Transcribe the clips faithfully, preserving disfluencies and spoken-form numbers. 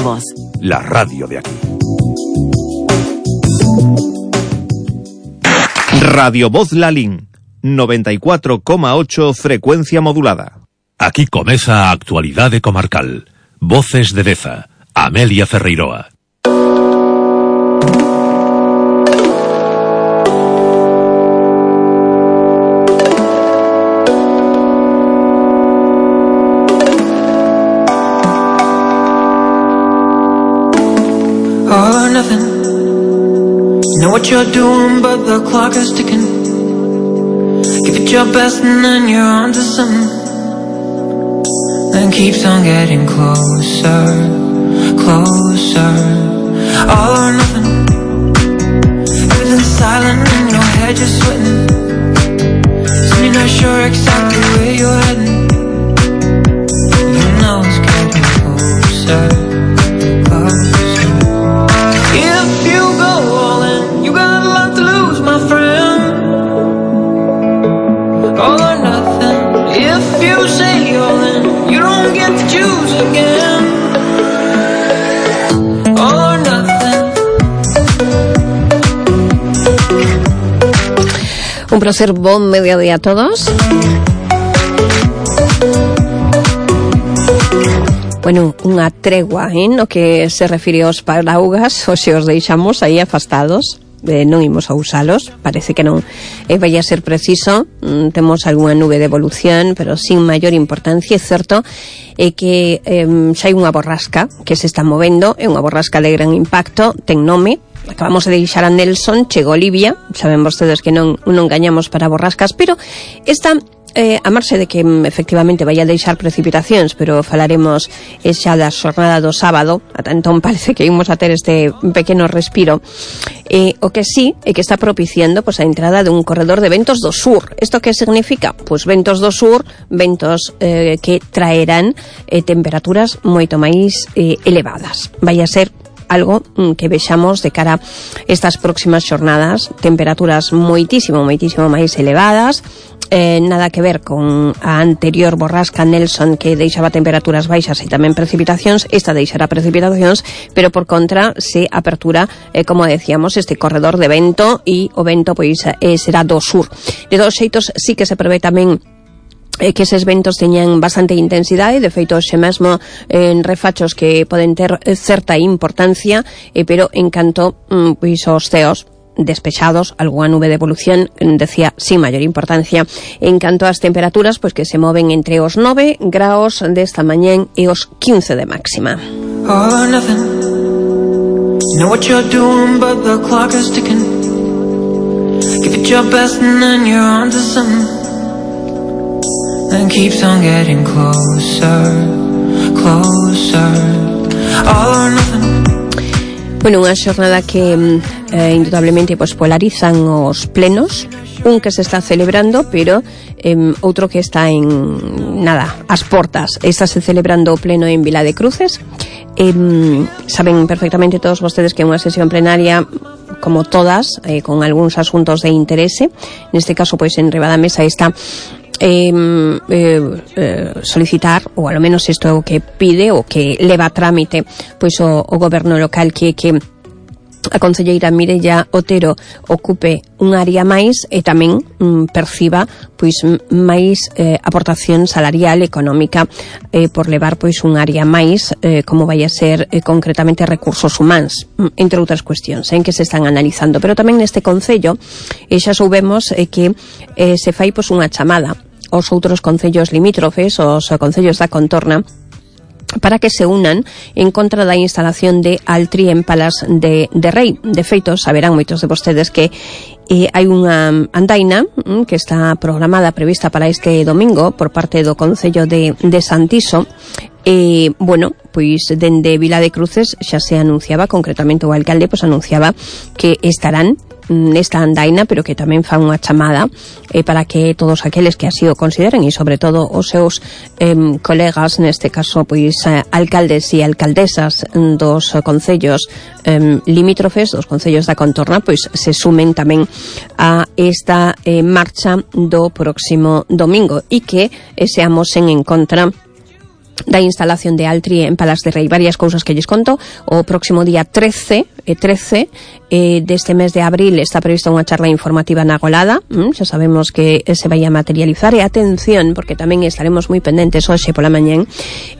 Voz. La radio de aquí. Radio Voz Lalín, noventa y cuatro coma ocho frecuencia modulada. Aquí comeza a actualidade comarcal. Voces de Deza, Amelia Ferreiroa. All or nothing. You know what you're doing, but the clock is ticking. Give it your best and then you're on to something. Then keeps on getting closer, closer. All or nothing. Everything's silent in your head, you're sweating. So you're not sure exactly where you're heading. You know it's getting closer, closer. If you go all in, you got a lot to lose, my friend. All or nothing. If you say all in, you don't get to choose again. All or nothing. Un placer, bon mediodía a todos. Bueno, unha tregua, eh, no que se refire aos paraugas, ou se os deixamos aí afastados, eh, non imos a usalos, parece que non eh, vai a ser preciso, mm, temos algunha nube de evolución, pero sin maior importancia. É certo é que eh, xa hai unha borrasca que se está movendo, é unha borrasca de gran impacto, ten nome. Acabamos de deixar a Nelson, chegou Olivia, saben vostedes que non, non gañamos para borrascas, pero esta... Eh, a marxe de que efectivamente vai a deixar precipitacións, pero falaremos eh, xa da xornada do sábado, ata entón parece que imos a ter este pequeno respiro. Eh, o que sí é que está propiciando pues, a entrada dun corredor de ventos do sur. Isto que significa? Pois ventos do sur, ventos eh, que traerán eh, temperaturas moito máis eh, elevadas. Vai a ser algo que vexamos de cara a estas próximas xornadas, temperaturas moitísimo, moitísimo máis elevadas. Eh, nada que ver con a anterior borrasca Nelson que deixaba temperaturas baixas e tamén precipitacións. Esta deixará precipitacións, pero por contra se apertura, eh, como decíamos, este corredor de vento, e o vento pois eh, será do sur. De todos xeitos, sí que se prevé tamén eh, que eses ventos teñan bastante intensidade, de feito xe mesmo en eh, refachos que poden ter certa importancia, eh, pero en canto mm, pois os ceos despechados, algunha nube de evolución, decía, sin maior importancia. En canto ás temperaturas, pois que se moven entre os nove graos desta mañén e os quince de máxima. All or nothing. You know what you're doing, but the clock is ticking. Give it your best and then you're on to something. Then keeps on getting closer, closer. All or nothing. Bueno, unha xornada que eh, indudablemente pues, polarizan os plenos, un que se está celebrando, pero eh, outro que está en, nada, as portas. Está se celebrando o pleno en Vila de Cruces. Eh, saben perfectamente todos vostedes que é unha sesión plenaria como todas, eh, con algúns asuntos de interese. Neste caso, pois, en riba da mesa está Eh, eh, eh, solicitar, ou ao menos isto é o que pide, o que leva a trámite pois o, o goberno local, que que a concelleira Mireia Otero ocupe un área máis e tamén mm, perciba pois máis eh, aportación salarial económica eh, por levar pois un área máis eh, como vai a ser eh, concretamente recursos humanos, entre outras cuestións en que se están analizando. Pero tamén neste concello eh, xa soubemos eh, que eh, se fai pois unha chamada aos outros concellos limítrofes, os concellos da contorna, para que se unan en contra da instalación de Altri en Palas de, de Rei. De feito, saberán moitos de vostedes que eh, hai unha andaina mm, que está programada, prevista para este domingo por parte do Concello de, de Santiso. E, eh, bueno, pois dende Vila de Cruces xa se anunciaba, concretamente o alcalde pois anunciaba que estarán nesta andaina, pero que tamén fan unha chamada eh, para que todos aqueles que así o consideren, e sobre todo os seus eh, colegas, neste caso pois eh, alcaldes e alcaldesas dos concellos eh, limítrofes, dos concellos da contorna, pois se sumen tamén a esta eh, marcha do próximo domingo, e que eh, seamos en, en contra da instalación de Altri en Palas de Rei. Varias cousas que lles conto. O próximo día trece, e trece eh, deste mes de abril está prevista unha charla informativa na Golada. Mm, xa sabemos que se vai a materializar. E atención, porque tamén estaremos moi pendentes hoxe pola mañán,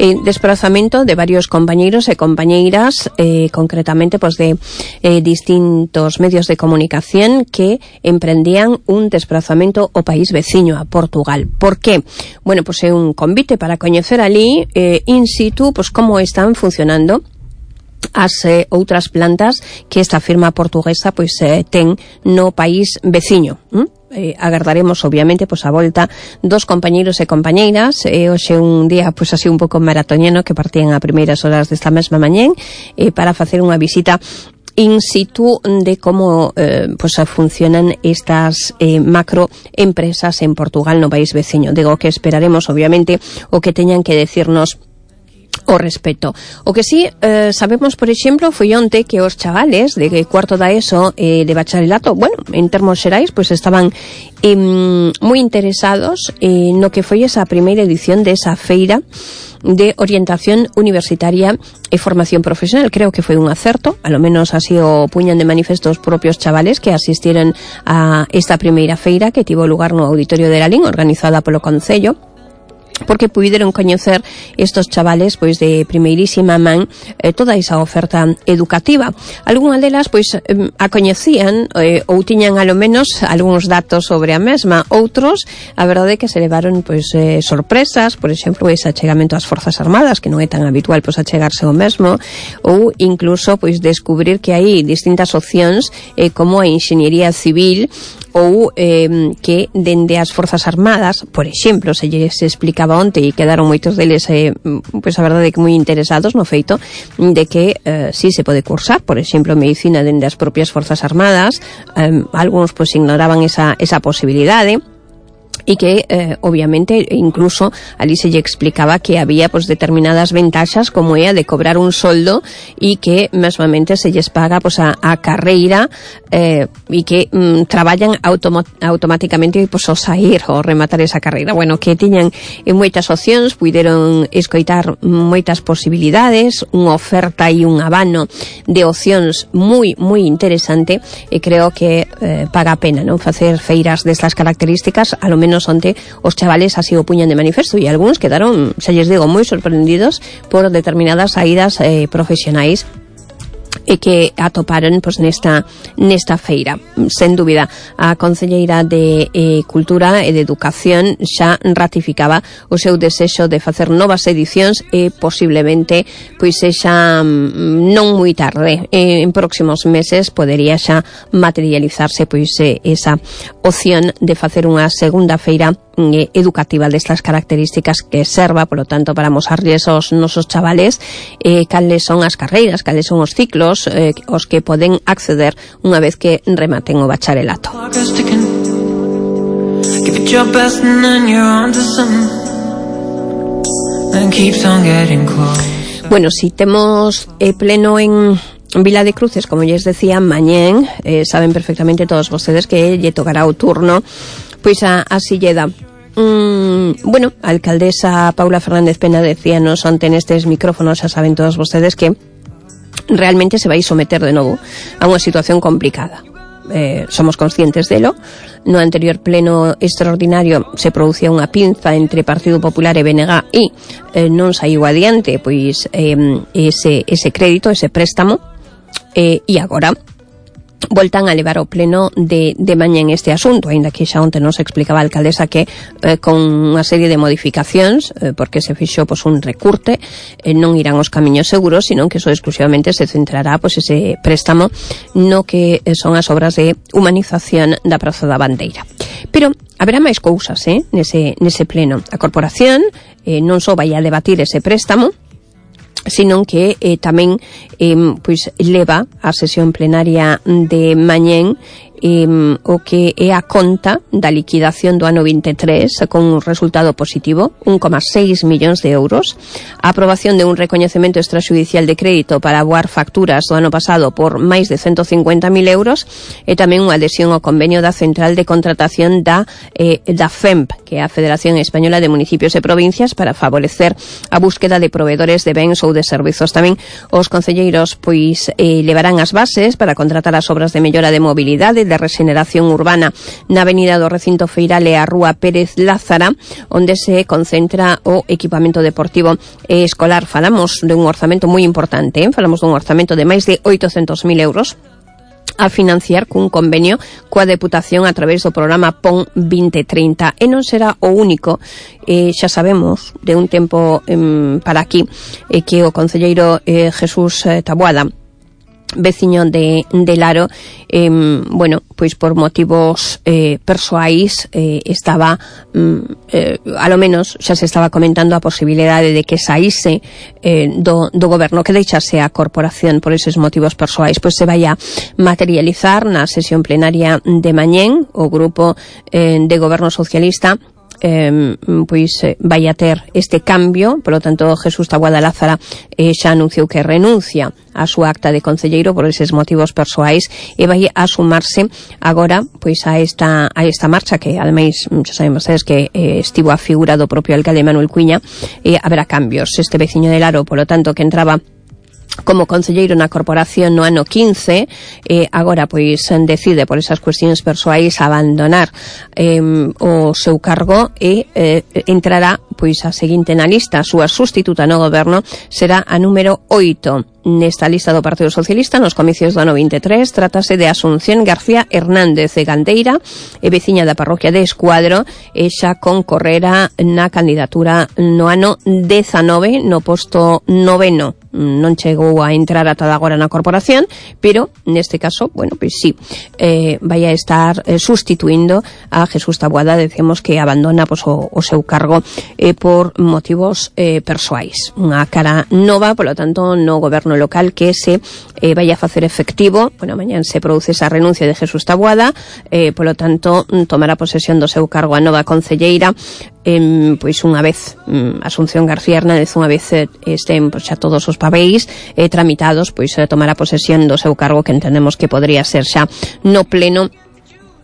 eh, desplazamento de varios compañeiros e compañeiras, eh, concretamente pues, de eh, distintos medios de comunicación que emprendían un desplazamento ao país veciño, a Portugal. Por qué? Bueno, pues é un convite para coñecer ali Eh, in situ, pues como están funcionando as eh, outras plantas que esta firma portuguesa pois eh, ten no país veciño. ¿Mm? Eh, agardaremos obviamente pois a volta dos compañeiros e compañeiras. Eh, hoxe un día pois así un pouco maratoniano que partían a primeiras horas desta mesma mañén eh, para facer unha visita in situ de como eh, pues funcionan estas eh, macroempresas en Portugal, no país veciño. Digo que esperaremos obviamente o que teñan que decirnos o respeto. O que sí eh, sabemos, por exemplo, foi onte que os chavales de cuarto da ESO eh, de bacharelato, bueno, en termos xerais, pois pues estaban eh, moi interesados eh, no que foi esa primeira edición de esa feira de orientación universitaria e formación profesional. Creo que foi un acerto, a lo menos así o puñan de manifesto os propios chavales que asistiron a esta primeira feira que tivo lugar no Auditorio de Lalín, organizada polo Concello, porque puideron coñecer estos chavales pois de primeirísima man eh, toda esa oferta educativa. Algúnas delas pois eh, a coñecían eh, ou tiñan alo menos algúns datos sobre a mesma. Outros, a verdade é que se levaron pois eh, sorpresas, por exemplo, ese achegamento ás Forzas Armadas, que non é tan habitual pois achegarse ao mesmo, ou incluso pois descubrir que hai distintas opcións eh, como a enxeñería civil ou eh, que dende as Forzas Armadas, por exemplo, se lles explicaba onte e quedaron moitos deles eh, pois a verdade é que moi interesados no feito de que eh, si se pode cursar, por exemplo, medicina dende as propias Forzas Armadas. eh, algúns pois ignoraban esa, esa posibilidade, e que, eh, obviamente, incluso ali se lle explicaba que había pues, determinadas ventaxas como é a de cobrar un soldo e que mesmamente se lles paga pues, a, a carreira eh, e que mm, traballan automa automáticamente pues, ao sair ou rematar esa carreira. Bueno, que tiñan eh, moitas opcións, puideron escoitar moitas posibilidades, unha oferta e un abano de opcións moi, moi interesante, e creo que eh, paga a pena non facer feiras destas características. A lo menos onte os chavales así o puñan de manifesto, e algúns quedaron, xa lles digo, moi sorprendidos por determinadas saídas eh, profesionais e que atoparon pues, nesta, nesta feira. Sen dúbida, a Concelleira de eh, Cultura e de Educación xa ratificaba o seu desexo de facer novas edicións e posiblemente pois sexa non moi tarde, eh, en próximos meses podería xa materializarse pois eh, esa opción de facer unha segunda feira eh, educativa destas características que serva, polo tanto, para mosarlles aos nosos chavales eh, cales son as carreiras, cales son os ciclos eh, os que poden acceder unha vez que rematen o bacharelato. Bueno, si temos eh, pleno en Vila de Cruces, como lles decía, mañén, eh, saben perfectamente todos vostedes que lle tocará o turno pois a, a Silleda. Mm, bueno, a alcaldesa Paula Fernández Pena decíanos onte nestes micrófonos, xa saben todos vostedes que realmente se vai someter de novo a unha situación complicada. Eh, somos conscientes delo. No anterior pleno extraordinario se producía unha pinza entre Partido Popular e B N G e eh, non saiu adiante pois eh, ese, ese crédito, ese préstamo, eh, e agora voltan a levar ao pleno de, de mañá en este asunto, aínda que xa onte nos explicaba a alcaldesa que eh, con unha serie de modificacións, eh, porque se fixo pues, un recurte, eh, non irán os camiños seguros, sino que eso exclusivamente se centrará pues, ese préstamo no que son as obras de humanización da Praza da Bandeira. Pero haberá máis cousas eh, nese, nese pleno. A corporación eh, non só vai a debatir ese préstamo, sino que eh, tamén eh, pois leva a sesión plenaria de mañén eh, o que é a conta da liquidación do ano vinte e tres con un resultado positivo, un coma seis millóns de euros, a aprobación de un recoñecemento extrajudicial de crédito para aboar facturas do ano pasado por máis de ciento cincuenta mil euros e tamén unha adhesión ao convenio da Central de Contratación da, eh, da F E M P, que é a Federación Española de Municipios e Provincias, para favorecer a búsqueda de proveedores de bens ou de servizos. Tamén os concelleiros pois eh, levarán as bases para contratar as obras de mellora de mobilidade, de regeneración urbana na avenida do Recinto Feiral e a Rúa Pérez Lázara, onde se concentra o equipamento deportivo e escolar. Falamos de un orzamento moi importante, eh? Falamos dun orzamento de máis de oitocentos mil euros a financiar cun convenio coa Deputación a través do programa P O N vinte trinta, e non será o único. Eh, xa sabemos de un tempo eh, para aquí eh, que o concelleiro eh, Jesús eh, Taboada, veciño de, de Laro, eh, bueno, pois por motivos eh, persoais eh, estaba mm, eh, a lo menos xa se estaba comentando a posibilidade de que saíse eh, do, do goberno, que deixase a corporación por eses motivos persoais. Pois se vai a materializar na sesión plenaria de mañén. O grupo eh, de goberno socialista Eh, pois eh, vai a ter este cambio. Por lo tanto, Jesús Taboada Lázara eh, xa anunciou que renuncia a súa acta de concelleiro por eses motivos persoais e vai a sumarse agora pois a esta a esta marcha, que ademais xa saben vostedes que eh, estivo a figura do propio alcalde Manuel Cuiña. E haberá cambios. Este veciño de Laro, por lo tanto, que entraba como concelleiro na corporación no ano quince, eh, agora pois decide por esas cuestións persoais abandonar eh, o seu cargo e eh, entrará pois a seguinte na lista. A súa sustituta no goberno será a número oito nesta lista do Partido Socialista nos comicios do ano vinte e tres. Trátase de Asunción García Hernández de Gandeira, e veciña da parroquia de Escuadro, e xa concorrera na candidatura no ano dezanove no posto noveno. Non chegou a entrar ata agora na corporación, pero neste caso, bueno, pois sí, eh, vai a estar eh, sustituindo a Jesús Taboada. Decimos que abandona pois, o, o seu cargo eh, por motivos eh, persoais. Unha cara nova, polo tanto, no goberno local que se eh, vai a facer efectivo. Bueno, mañán se produce esa renuncia de Jesús Taboada, eh, polo tanto, tomará posesión do seu cargo a nova concelleira. Eh, pois unha vez um, Asunción García Hernández, unha vez eh, estén pois, xa todos os papéis eh, tramitados, pois eh, tomará posesión do seu cargo, que entendemos que podría ser xa no pleno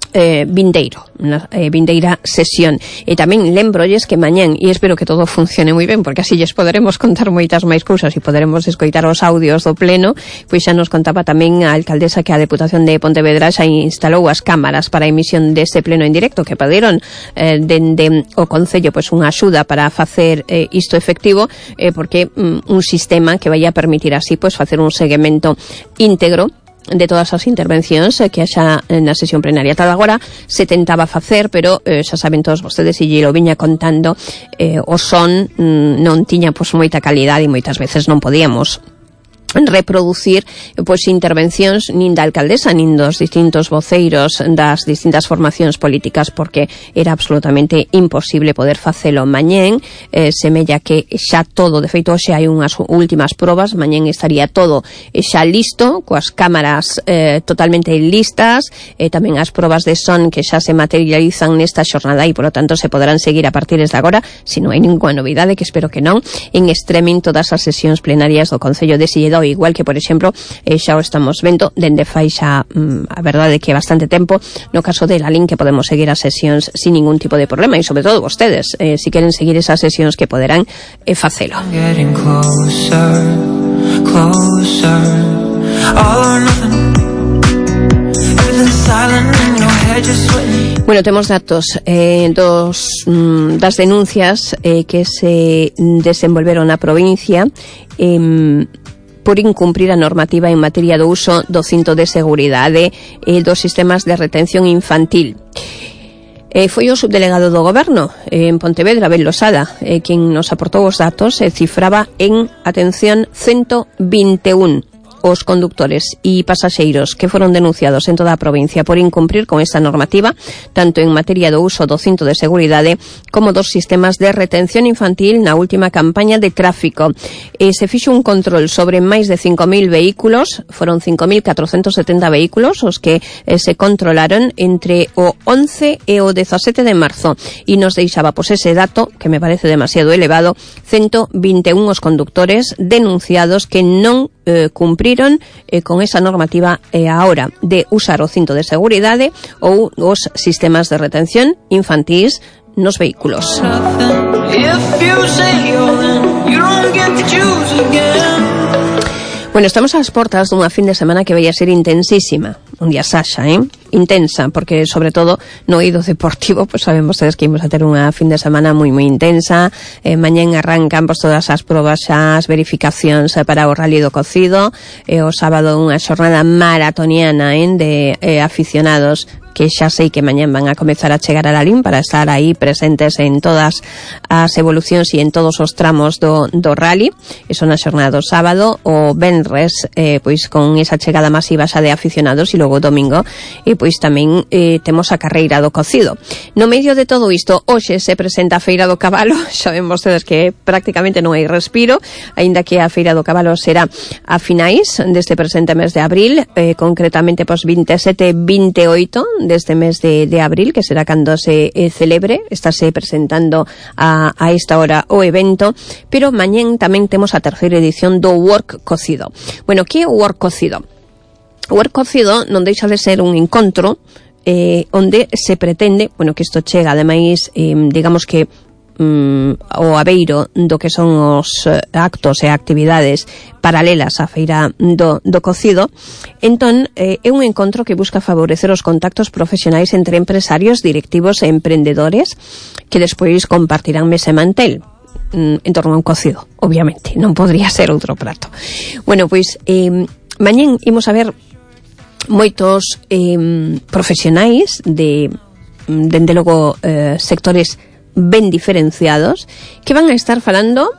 eh, vindeiro, na eh, vindeira sesión. E tamén lembrolles que mañán, e espero que todo funcione moi ben, porque así lles poderemos contar moitas máis cousas e poderemos escoitar os audios do pleno, pois xa nos contaba tamén a alcaldesa que a Deputación de Pontevedra xa instalou as cámaras para a emisión deste pleno en directo, que pediron eh, dende o Concello pois unha axuda para facer eh, isto efectivo, eh, porque mm, un sistema que vai a permitir así pois facer un seguimento íntegro de todas as intervencións que haxa na sesión plenaria. Tal agora se tentaba facer, pero eh, xa saben todos vostedes, e lle lo viña contando, eh, o son mm, non tiña pois moita calidade e moitas veces non podíamos reproducir pois intervencións nin da alcaldesa nin dos distintos voceiros das distintas formacións políticas, porque era absolutamente imposible poder facelo. Mañén eh, semella que xa todo, de feito hoxe hai unhas últimas probas, mañén estaría todo xa listo, coas cámaras eh, totalmente listas, e eh, tamén as probas de son que xa se materializan nesta xornada, e polo tanto se poderán seguir a partir de agora, se non hai ninguna novidade, que espero que non, en streaming todas as sesións plenarias do Concello de Silledo, igual que, por exemplo, eh, xa o estamos vendo dende fai xa, mm, a verdade que bastante tempo, no caso de Lalín, que podemos seguir as sesións sin ningún tipo de problema, e sobre todo vostedes, eh, si queren seguir esas sesións, que poderán eh, facelo. Bueno, temos datos eh, dos mm, das denuncias eh, que se desenvolveron na provincia eh, por incumprir a normativa en materia do uso do cinto de seguridade e dos sistemas de retención infantil. Eh, foi o subdelegado do goberno eh, en Pontevedra, Abel Losada, eh, quen nos aportou os datos, e cifraba en, atención, ciento vinte e un os conductores e pasaxeiros que foron denunciados en toda a provincia por incumprir con esta normativa, tanto en materia do uso do cinto de seguridade como dos sistemas de retención infantil na última campaña de tráfico. E se fixo un control sobre máis de cinco mil vehículos, foron cinco mil catrocentos setenta vehículos os que eh, se controlaron entre o once e o dezasete de marzo, e nos deixaba pois ese dato, que me parece demasiado elevado, ciento vinte e un os conductores denunciados que non eh, cumpriron eh, con esa normativa eh, a hora de usar o cinto de seguridade ou os sistemas de retención infantís nos vehículos. Bueno, estamos ás portas dunha fin de semana que vai a ser intensísima. Un día Sasha, eh? Intensa, porque sobre todo no eido deportivo, pues saben vostedes que imos a ter unha fin de semana moi moi intensa. Eh, mañén arrancan pues, todas as probas xa, as verificacións eh, para o rally do cocido. Eh, o sábado unha xornada maratoniana eh, de eh, aficionados que xa sei que mañán van a comezar a chegar a Lalín para estar aí presentes en todas as evolucións e en todos os tramos do, do rally. E son a xornada do sábado, o venres eh, pois con esa chegada masiva xa de aficionados, e logo o domingo e pois tamén eh, temos a carreira do cocido. No medio de todo isto, hoxe se presenta a Feira do Cabalo. Xa ven vostedes que prácticamente non hai respiro, aínda que a Feira do Cabalo será a finais deste presente mes de abril, eh, concretamente pois vinte e sete e vinte e oito deste mes de, de abril, que será cando se eh, celebre. Estáse presentando a, a esta hora o evento, pero mañén tamén temos a terceira edición do Work Cocido. Bueno, que é o Work Cocido? O Work Cocido non deixa de ser un encontro eh, onde se pretende, bueno, que isto chega ademais, eh, digamos que Mm, o abeiro do que son os eh, actos e actividades paralelas á feira do, do cocido. Entón, eh, é un encontro que busca favorecer os contactos profesionais entre empresarios, directivos e emprendedores que despois compartirán mesa e mantel mm, en torno a un cocido, obviamente, non podría ser outro prato. Bueno, pois eh, mañén imos a ver moitos eh, profesionais de, dende logo, eh, sectores ben diferenciados, que van a estar falando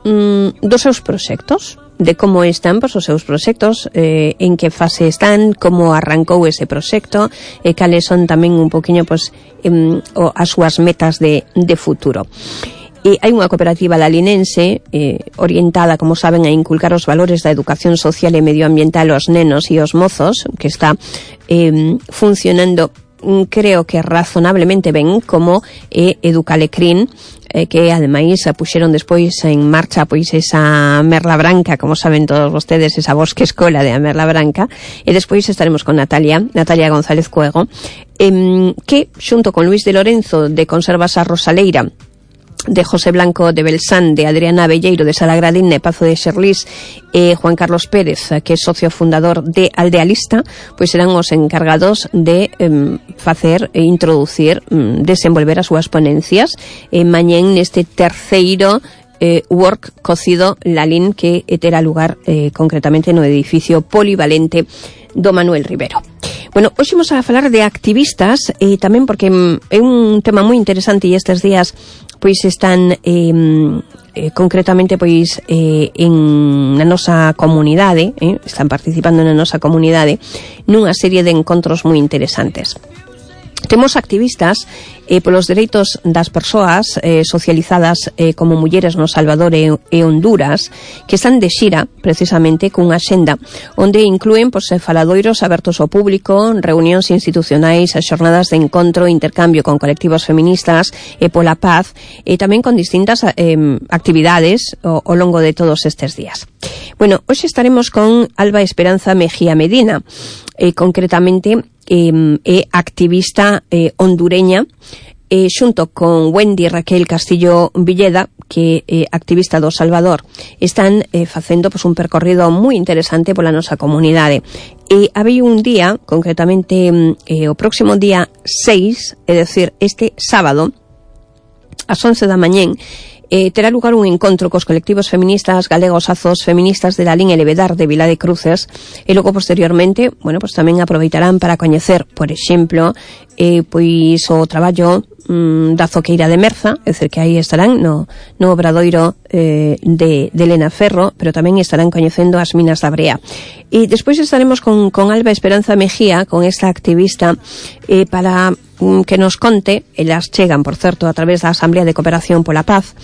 mm, dos seus proxectos, de como están pois, os seus proxectos, eh, en que fase están, como arrancou ese proxecto, e eh, cales son tamén un poquinho pois, eh, o, as súas metas de, de futuro. E hai unha cooperativa lalinense eh, orientada, como saben, a inculcar os valores da educación social e medioambiental aos nenos e aos mozos, que está eh, funcionando creo que razonablemente ben, como é Educalecrín, eh, que ademais puxeron despois en marcha pois esa Merla Branca, como saben todos vostedes, esa bosque escola de a Merla Branca, e despois estaremos con Natalia, Natalia González Cuego, eh, que xunto con Luis de Lorenzo de Conservas a Rosaleira, de José Blanco de Belsan, de Adriana Belleiro de Salagradín, de Pazo de Xerlís, e eh, Juan Carlos Pérez, que é socio fundador de Aldealista, pois serán os encargados de eh, facer e introducir, eh, desenvolver as súas ponencias e eh, mañén neste terceiro eh, Work Cocido Lalín, que terá lugar eh, concretamente no edificio polivalente do Manuel Rivero. Bueno, hoxe vamos a falar de activistas, e eh, tamén porque é un tema moi interesante, e estes días pois están eh, eh, concretamente pois eh, en na nosa comunidade, eh, están participando na nosa comunidade nunha serie de encontros moi interesantes. Temos activistas eh, polos dereitos das persoas eh, socializadas eh, como mulleres no Salvador e, e Honduras, que están de xira precisamente cunha axenda onde inclúen pois, faladoiros abertos ao público, reunións institucionais, xornadas de encontro, intercambio con colectivos feministas e pola paz, e tamén con distintas eh, actividades ao, ao longo de todos estes días. Bueno, hoxe estaremos con Alba Esperanza Mejía Medina, eh, concretamente é eh, activista eh, hondureña, eh, xunto con Wendy Raquel Castillo Villeda, que é eh, activista do Salvador. Están eh, facendo pues, un percorrido moi interesante pola nosa comunidade. E había un día, concretamente eh, o próximo día seis, é dicir, este sábado, ás once da mañén, Eh, terá lugar un encontro cos colectivos feministas galegos Azos, feministas de Lalín e Levedar de Vila de Cruces, e logo posteriormente, bueno, pues tamén aproveitarán para coñecer, por exemplo, eh, pois o traballo mm, da Zoqueira de Merza, é dicir, que aí estarán no, no obradoiro eh, de, de Elena Ferro, pero tamén estarán coñecendo as minas da Brea. Y despois estaremos con, con Alba Esperanza Mejía, con esta activista, eh, para mm, que nos conte, elas chegan, por certo, a través da Asamblea de Cooperación pola Paz,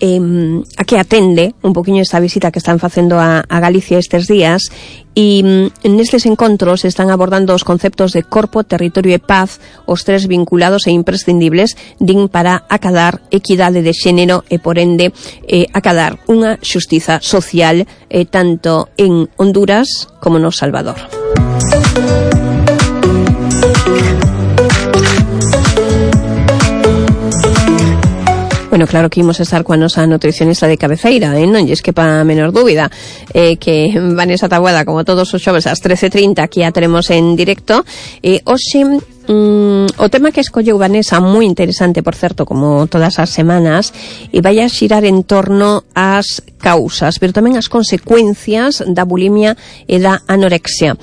eh, a que atende un poquinho esta visita que están facendo a, a Galicia estes días, e mm, nestes encontros están abordando os conceptos de corpo, territorio e paz, os tres vinculados e imprescindibles din para acadar equidade de xénero e, por ende, eh, acadar unha xustiza social eh, tanto en Honduras como no Salvador. Bueno, claro que imos estar coa nosa nutricionista de cabeceira, eh? Non lles quepa a menor dúbida, eh, que Vanessa Taboada, como todos os xoves ás trece trinta, aquí a teremos en directo. Eh, hoxe, mm, o tema que escolleu Vanessa, moi interesante, por certo, como todas as semanas, e vai a xirar en torno ás causas, pero tamén as consecuencias da bulimia e da anorexia,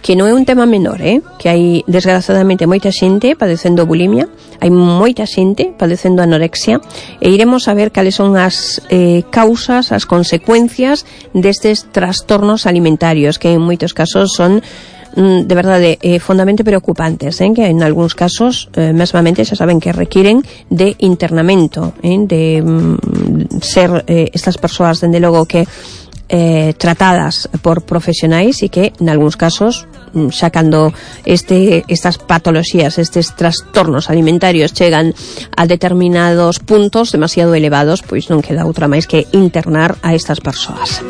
que non é un tema menor, eh? Que hai, desgraciadamente, moita xente padecendo bulimia, hai moita xente padecendo anorexia, e iremos a ver cales son as eh, causas, as consecuencias destes trastornos alimentarios, que en moitos casos son mm, de verdade eh, fondamente preocupantes, eh? Que en algúns casos eh, mesmamente xa saben que requiren de internamento, eh? de mm, ser eh, estas persoas, dende logo, que Eh, tratadas por profesionais, e que en algúns casos xa cando este, estas patoloxías, estes trastornos alimentarios chegan a determinados puntos demasiado elevados, pois non queda outra máis que internar a estas persoas.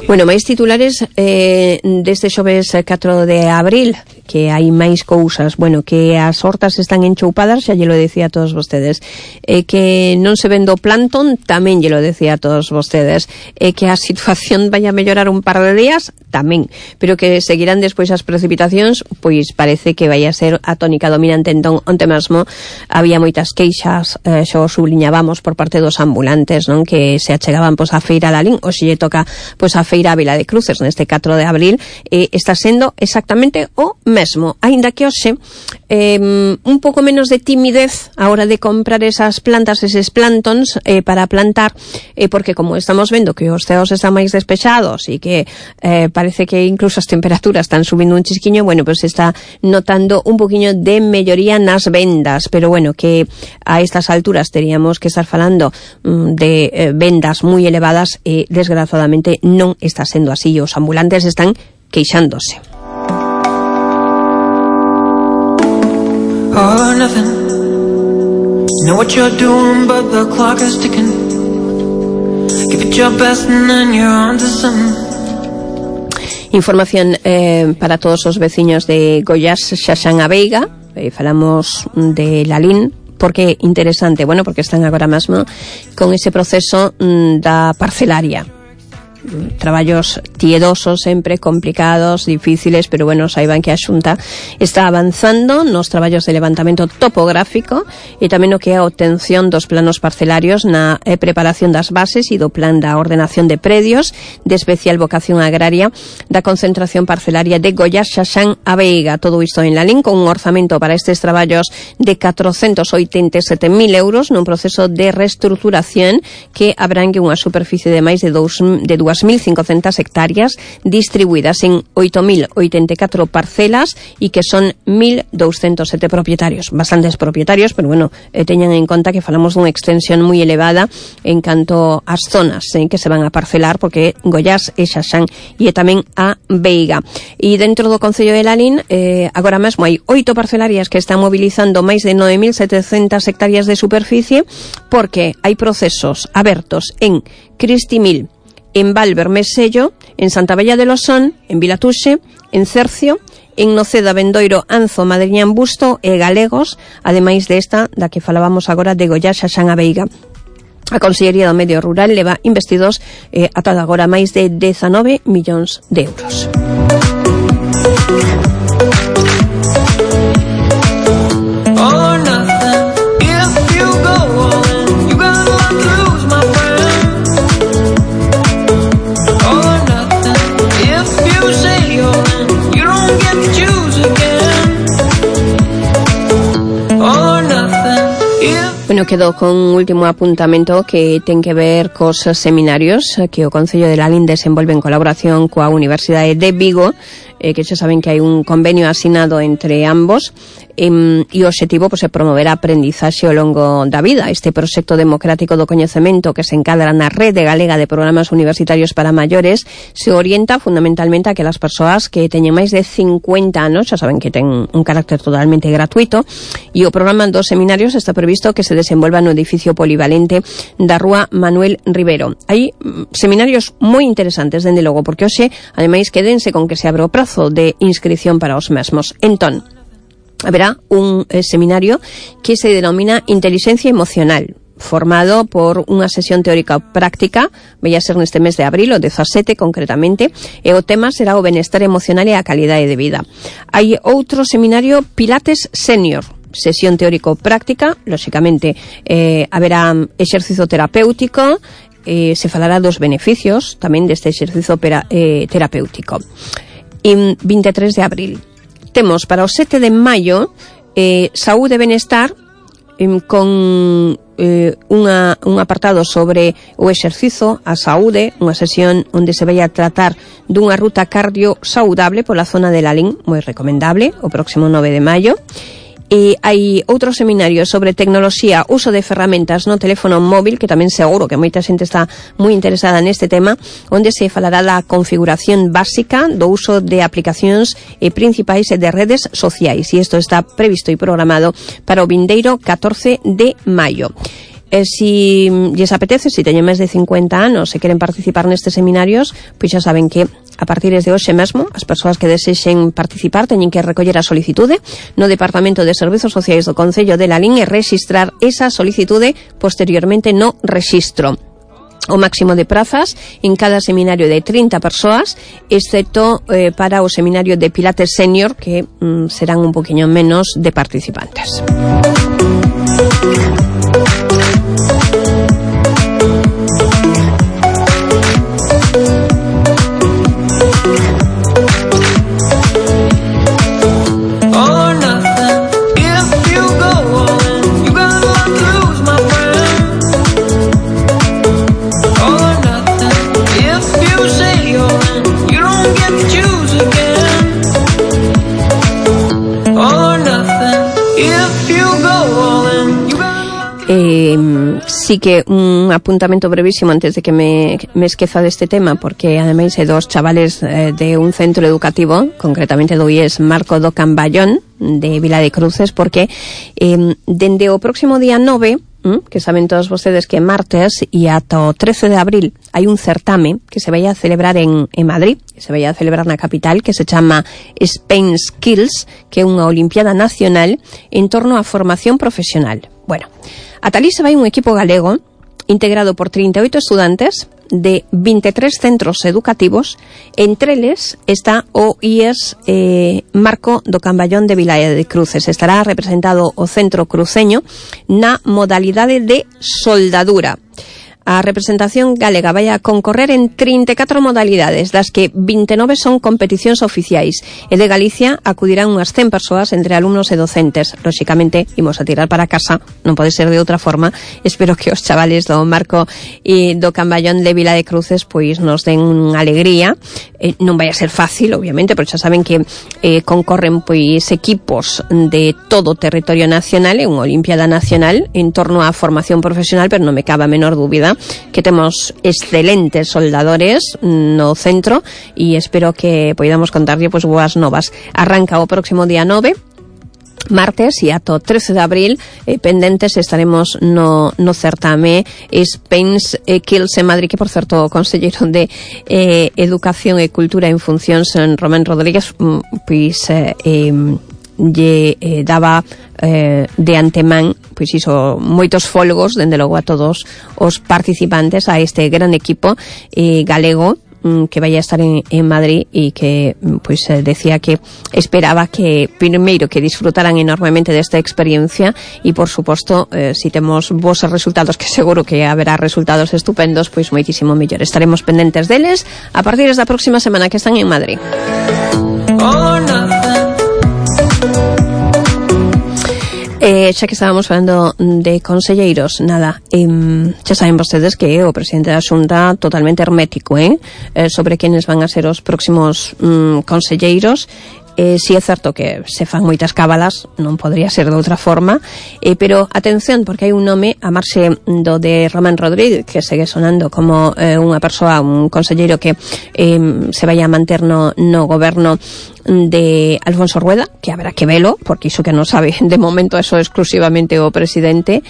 Bueno, máis titulares eh, deste xoves catro de abril, que hai máis cousas, bueno, que as hortas están enchoupadas, xa lle lo decía a todos vostedes, eh, que non se vende o plantón, tamén lle lo decía a todos vostedes, eh, que a situación vai a mellorar un par de días, tamén, pero que seguirán despois as precipitacións, pois parece que vai a ser a tónica dominante. Entón, onte mesmo había moitas queixas, eh, xo subliñábamos por parte dos ambulantes, non, que se achegaban pois a feira Lalín, ou se lle toca pois a feira Vila de Cruces neste catro de abril, eh, está sendo exactamente o mesmo, aínda que hoxe eh, un pouco menos de timidez a hora de comprar esas plantas, eses plantons eh, para plantar, eh, porque como estamos vendo que os ceos están máis despexados e que eh, parece que incluso as temperaturas están subindo un chisquiño, bueno, pues se está notando un poquinho de melloría nas vendas, pero bueno, que a estas alturas teríamos que estar falando mm, de eh, vendas moi elevadas, e eh, desgraciadamente non está sendo así, os ambulantes están queixándose. All or nothing. You know what you're doing, but the clock is ticking. Give it your best and then you're on to something. Información eh, para todos os veciños de Goiás, Xaxán a Veiga. Eh, falamos de Lalín, porque é interesante, bueno, porque están agora mesmo con ese proceso mm, da parcelaria. Traballos tiedosos, sempre complicados, difíciles, pero bueno, saiban que a Xunta está avanzando nos traballos de levantamento topográfico e tamén o que é a obtención dos planos parcelarios na eh, preparación das bases e do plan da ordenación de predios de especial vocación agraria da concentración parcelaria de Goiás, Xaxán a Veiga. Todo isto en Lalín, con un orzamento para estes traballos de catrocentos oitenta e sete mil euros nun proceso de reestruturación que abrangue unha superficie de máis de dous mil cincocentas hectáreas distribuídas en oito mil oitenta e catro parcelas e que son mil douscentos sete propietarios, bastantes propietarios, pero bueno, eh, teñan en conta que falamos dunha extensión moi elevada en canto ás zonas eh, que se van a parcelar, porque Goiás e Xaxán e tamén a Veiga. E dentro do Concello de Lalín eh, agora mesmo hai oito parcelarias que están mobilizando máis de nove mil setecentas hectáreas de superficie, porque hai procesos abertos en Cristimil, en Valvermesello, en Santa Bella de Losón, en Vilatuxe, en Cercio, en Noceda, Bendoiro, Anzo, Madriñán, Busto e Galegos, ademais desta da que falábamos agora de Goiás, Xaxán a Veiga. A Consellería do Medio Rural leva investidos eh, ata agora máis de dezanove millóns de euros. Bueno, que quedo con un último apuntamento que ten que ver cos seminarios que o Concello de Lalín desenvolve en colaboración coa Universidade de Vigo, eh, que xa saben que hai un convenio asinado entre ambos, eh, e o obxectivo pues, é promover a aprendizaxe ao longo da vida. Este proxecto democrático do coñecemento que se encadra na Rede Galega de Programas Universitarios para Maiores se orienta fundamentalmente a que as persoas que teñen máis de cincuenta anos, xa saben que ten un carácter totalmente gratuito, e o programa dos seminarios está previsto que se desenvolva no edificio polivalente da Rúa Manuel Rivero. Hai seminarios moi interesantes, dende logo, porque hoxe, ademais, quédense con que se abre o prazo de inscripción para os mesmos. Entón, haberá un eh, seminario que se denomina Inteligencia Emocional, formado por unha sesión teórica práctica, vai a ser neste mes de abril, o dezasete concretamente, e o tema será o benestar emocional e a calidade de vida. Hai outro seminario, Pilates Senior, sesión teórico-práctica, lóxicamente eh, haberá exercicio terapéutico, eh, se falará dos beneficios tamén deste exercicio pera, eh, terapéutico. E vinte e tres de abril. Temos para o sete de maio eh, Saúde e Benestar, eh, con eh, unha, un apartado sobre o exercizo, a saúde, unha sesión onde se vai a tratar dunha ruta cardio saudable pola zona de Lalín, moi recomendable, o próximo nove de maio. E hai outro seminario sobre tecnoloxía, uso de ferramentas no teléfono móvil, que tamén seguro que moita xente está moi interesada neste tema, onde se falará da configuración básica do uso de aplicacións e principais de redes sociais, e isto está previsto e programado para o vindeiro catorce de maio. E si lles apetece, si teñen máis de cincuenta anos e queren participar nestes seminarios, pois xa saben que a partir de hoxe mesmo as persoas que desexen participar teñen que recoller a solicitude no Departamento de Servizos Sociais do Concello de Lalín e registrar esa solicitude posteriormente no rexistro. O máximo de prazas en cada seminario de trinta persoas, excepto eh, para o seminario de Pilates Senior, que mm, serán un poquinho menos de participantes. Eh, sí que un apuntamento brevísimo antes de que me, me esqueza deste tema, porque ademais hai dos chavales eh, de un centro educativo, concretamente do I E S Marco do Camballón de Vila de Cruces, porque eh, dende o próximo día nove, que saben todos vostedes que martes e ata o trece de abril hai un certame que se vai a celebrar en, en Madrid, que se vai a celebrar na capital, que se chama Spain Skills, que é unha olimpiada nacional en torno á formación profesional. Bueno, ata ali se vai un equipo galego integrado por trinta e oito estudantes de vinte e tres centros educativos. Entre eles está o I E S eh, Marco do Camballón de Vilaia de Cruces. Estará representado o centro cruceño na modalidade de soldadura. A representación galega vai a concorrer en trinta e catro modalidades, das que vinte e nove son competicións oficiais, e de Galicia acudirán unhas cen persoas entre alumnos e docentes. Lóxicamente, imos a tirar para casa, non pode ser de outra forma. Espero que os chavales do Marco e do Camballón de Vila de Cruces pois nos den unha alegría. Eh, non vai a ser fácil, obviamente, pero xa saben que eh, concorren pois equipos de todo o territorio nacional, e unha olimpiada nacional en torno á formación profesional, pero non me cabe a menor dúbida que temos excelentes soldadores no centro, e espero que poidamos contarlle pois boas novas. Arranca o próximo día nove, martes, e ato trece de abril eh, pendentes estaremos no, no certame Spain Skills en Madrid, que por certo o conselleiro de eh, Educación e Cultura en Funcións, Romén Rodríguez, pois eh, eh, lle eh, daba eh, de antemán pois iso, moitos folgos dende logo a todos os participantes a este gran equipo eh, galego que vai a estar en, en Madrid, e que pois eh, decía que esperaba que primeiro que disfrutaran enormemente desta experiencia, e por suposto eh, si temos vos resultados, que seguro que haberá resultados estupendos, pois moitísimo mellor. Estaremos pendentes deles a partir da próxima semana que están en Madrid. Eh, xa que estábamos falando de conselleiros, nada, eh, xa saben vostedes que o presidente da Xunta totalmente hermético, eh, eh sobre quenes van a ser os próximos mm, conselleiros. Eh, si é certo que se fan moitas cábalas, non podría ser de outra forma, eh, pero atención, porque hai un nome a marxe do de Román Rodríguez, que segue sonando como eh, unha persoa, un conselleiro que eh, se vai a manter no, no goberno de Alfonso Rueda, que habrá que velo, porque iso que non sabe de momento eso exclusivamente o presidente.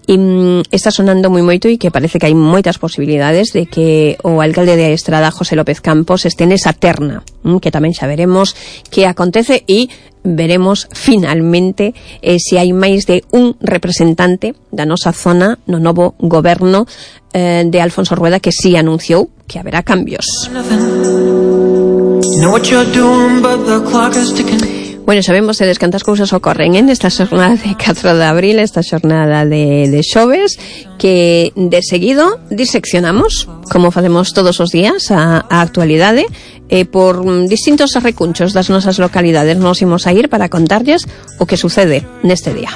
E mm, está sonando moi moito e que parece que hai moitas posibilidades de que o alcalde de Estrada, José López Campos, este nesa terna, mm, que tamén xa veremos que acontece e veremos finalmente eh, se hai máis de un representante da nosa zona no novo goberno eh, de Alfonso Rueda, que sí anunciou que haberá cambios. Bueno, sabemos vostedes cantas cousas ocorren en esta xornada de catro de abril, esta xornada de, de xoves, que de seguido diseccionamos, como facemos todos os días, a, a actualidade, eh, por distintos recunchos das nosas localidades. Nos imos a ir para contarlles o que sucede neste día.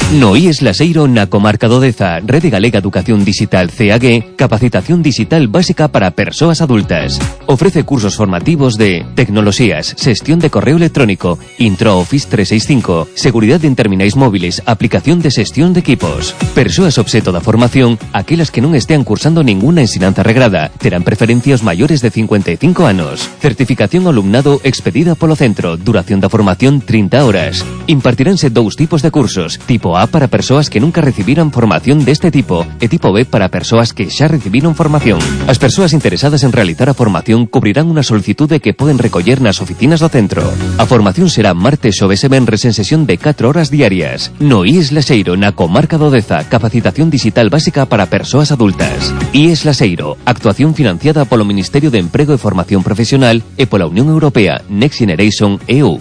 No I E S Laseiro na comarca do Deza, Rede Galega Educación Digital C A G, capacitación digital básica para persoas adultas. Ofrece cursos formativos de tecnoloxías, xestión de correo electrónico, Intro Office trescientos sesenta y cinco, seguridade en terminais móviles, aplicación de xestión de equipos. Persoas obxeto da formación, aquelas que non estean cursando ninguna ensinanza regrada, terán preferencia os maiores de cincuenta e cinco anos. Certificación ao alumnado expedida polo centro, duración da formación trinta horas. Impartiránse dous tipos de cursos, tipo A para persoas que nunca recibiran formación deste tipo e tipo B para persoas que xa recibiron formación. As persoas interesadas en realizar a formación cubrirán unha solicitude que poden recoller nas oficinas do centro. A formación será martes, xoves e venres en sesión de catro horas diarias. No I E S Laseiro, na comarca do Deza, capacitación digital básica para persoas adultas. I E S Laseiro, actuación financiada polo Ministerio de Emprego e Formación Profesional e pola Unión Europea Next Generation E U.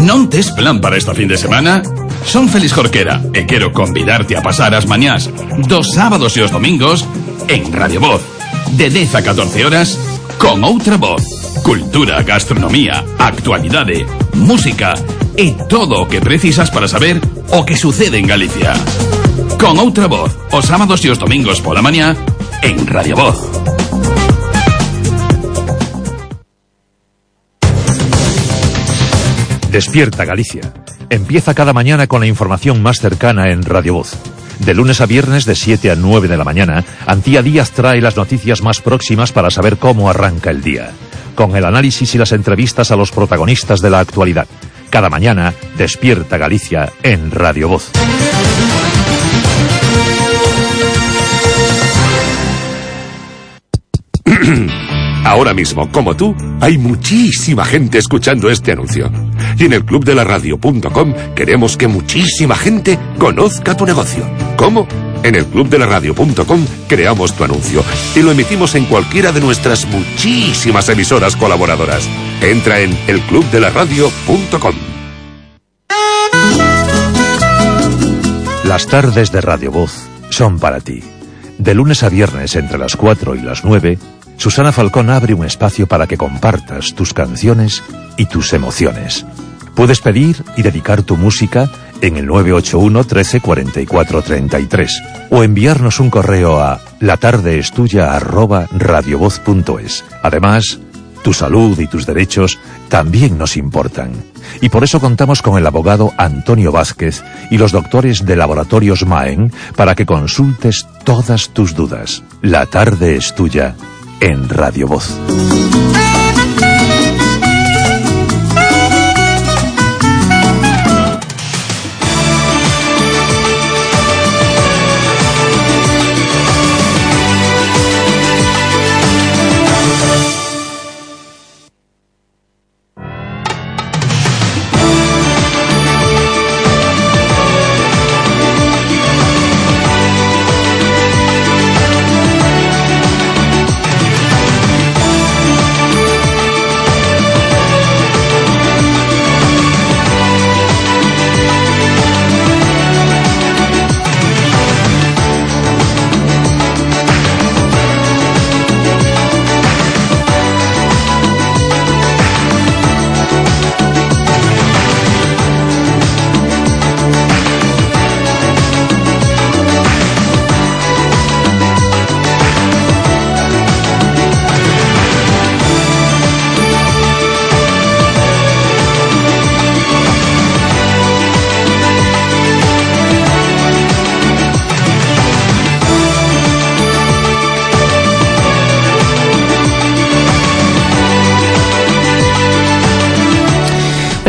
Non tes plan para esta fin de semana? Son Félix Jorquera e quero convidarte a pasar as mañás dos sábados e os domingos en Radio Voz, de dez a catorce horas, con outra voz. Cultura, gastronomía, actualidade, música e todo o que precisas para saber o que sucede en Galicia. Con outra voz, os sábados e os domingos pola mañá en Radio Voz. Despierta Galicia. Empieza cada mañana con la información más cercana en Radio Voz. De lunes a viernes de siete a nueve de la mañana, Antía Díaz trae las noticias más próximas para saber cómo arranca el día, con el análisis y las entrevistas a los protagonistas de la actualidad. Cada mañana, Despierta Galicia en Radio Voz. Ahora mismo, como tú, hay muchísima gente escuchando este anuncio. Y en el club de la radio punto com queremos que muchísima gente conozca tu negocio. ¿Cómo? En el club de la radio punto com creamos tu anuncio y lo emitimos en cualquiera de nuestras muchísimas emisoras colaboradoras. Entra en el club de la radio punto com. Las tardes de Radio Voz son para ti. De lunes a viernes entre las cuatro y las nueve, Susana Falcón abre un espacio para que compartas tus canciones y tus emociones. Puedes pedir y dedicar tu música en el nueve ocho uno, trece, cuarenta y cuatro, treinta y tres o enviarnos un correo a latardeestuya arroba radiovoz punto es. Además, tu salud y tus derechos también nos importan. Y por eso contamos con el abogado Antonio Vázquez y los doctores de Laboratorios Maen para que consultes todas tus dudas. La tarde es tuya en Radio Voz.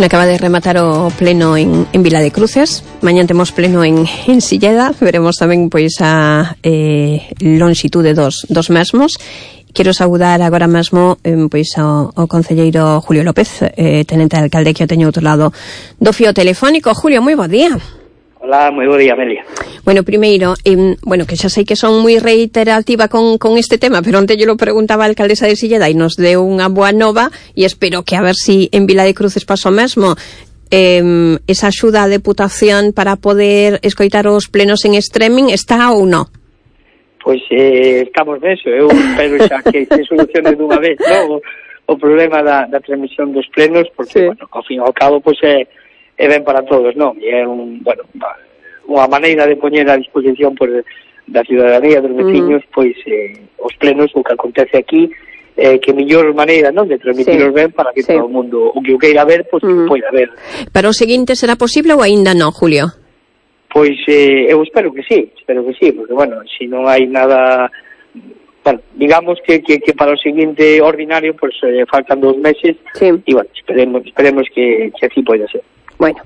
Acaba de rematar o pleno en, en Vila de Cruces. Mañán temos pleno en, en Silleda. Veremos tamén pois a eh, longitude dos, dos mesmos. Quero saudar agora mesmo eh, pois ao, ao concelleiro Julio López, eh, tenente alcalde, que o teño outro lado do fío telefónico. Julio, moi bo día. Hola, moi bo día, Amelia. Bueno, primeiro, eh, bueno, que xa sei que son moi reiterativa con, con este tema, pero onte yo lo preguntaba a alcaldesa de Silleda e nos deu unha boa nova, e espero que a ver si en Vila de Cruces paso mesmo. Eh, esa axuda a deputación para poder escoitar os plenos en streaming está ou non? Pois eh, estamos neso, eu espero xa que se solucione dunha vez, non? O, o problema da, da transmisión dos plenos, porque, sí, bueno, ao fin e ao cabo, pois é é ben para todos, non? E é un, bueno, unha maneira de poñer a disposición por, da ciudadanía, dos veciños, mm. pois eh, os plenos, o que acontece aquí, eh, que mellor maneira, non, de transmitiros, sí, ben para que, sí, todo o mundo, o que o queira ver, pois mm. que poida ver. Para o seguinte será posible ou aínda non, Julio? Pois eh, eu espero que sí, espero que sí, porque, bueno, se si non hai nada, bueno, digamos que, que, que para o seguinte ordinario, pois eh, faltan dos meses, sí, e, bueno, esperemos, esperemos que, que así poida ser. Bueno,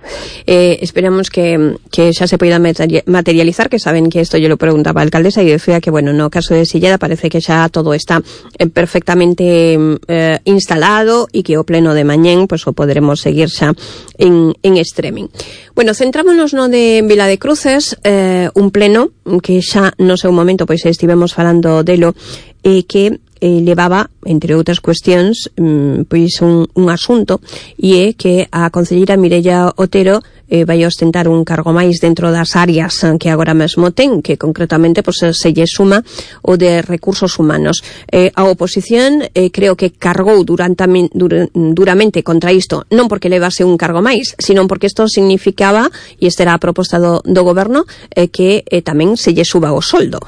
eh, esperamos que, que xa se poida materializar, que saben que isto yo lo preguntaba a alcaldesa e decía que, bueno, no caso de Silleda parece que xa todo está eh, perfectamente eh, instalado e que o pleno de mañén pues, o poderemos seguir xa en, en streaming. Bueno, centrámonos no de Vila de Cruces, eh, un pleno que xa no seu momento pois estivemos falando delo, e eh, que eh, levaba, entre outras cuestións, mm, pois un, un asunto, e é que a concelleira Mireia Otero eh, vai ostentar un cargo máis dentro das áreas que agora mesmo ten, que concretamente pois, se lle suma o de recursos humanos. Eh, a oposición eh, creo que cargou durante, dur, duramente contra isto, non porque levase un cargo máis, sino porque isto significaba, e esta era a proposta do, do goberno, eh, que eh, tamén se lle suba o soldo.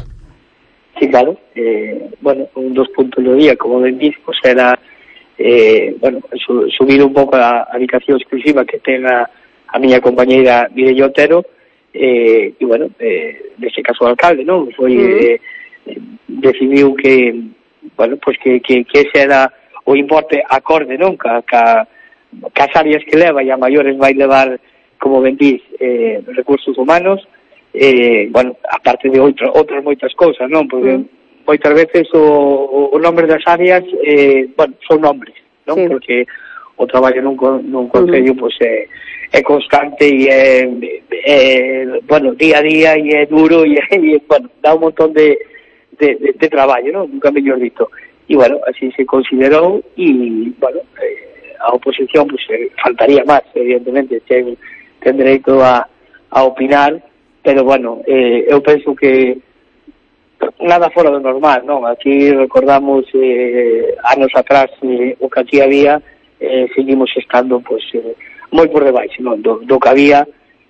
Sí, claro. Eh, bueno, un dos puntos do día, como ben dis, pues era eh, bueno, su, subir un pouco a, a dedicación exclusiva que ten a, a miña compañeira Mireia Otero, eh, e, bueno, eh, neste caso o alcalde, non? Foi, eh, decidiu que, bueno, pues que, que, que ese era o importe acorde, non? Ca, ca, cas áreas que leva, e a maiores vai levar, como ben dis, eh, recursos humanos, eh, bueno, aparte de outro, outras moitas cousas, non? Porque mm. moitas veces o, o, o nombre das áreas, eh, bueno, son nombres, non? Sí. Porque o traballo nun, nun concello, mm. pois, é, é constante e é, é, bueno, día a día e é duro e, e bueno, dá un montón de, de, de, de traballo, non? Nunca mellor dito. E, bueno, así se considerou e, bueno, eh, a oposición, pois, eh, faltaría máis, evidentemente, ten, ten dereito a, a opinar, pero, bueno, eh, eu penso que nada fora do normal, non? Aquí recordamos eh, anos atrás eh, o que aquí había, eh, seguimos estando, pois, eh, moi por debaixo, non? Do, do que había,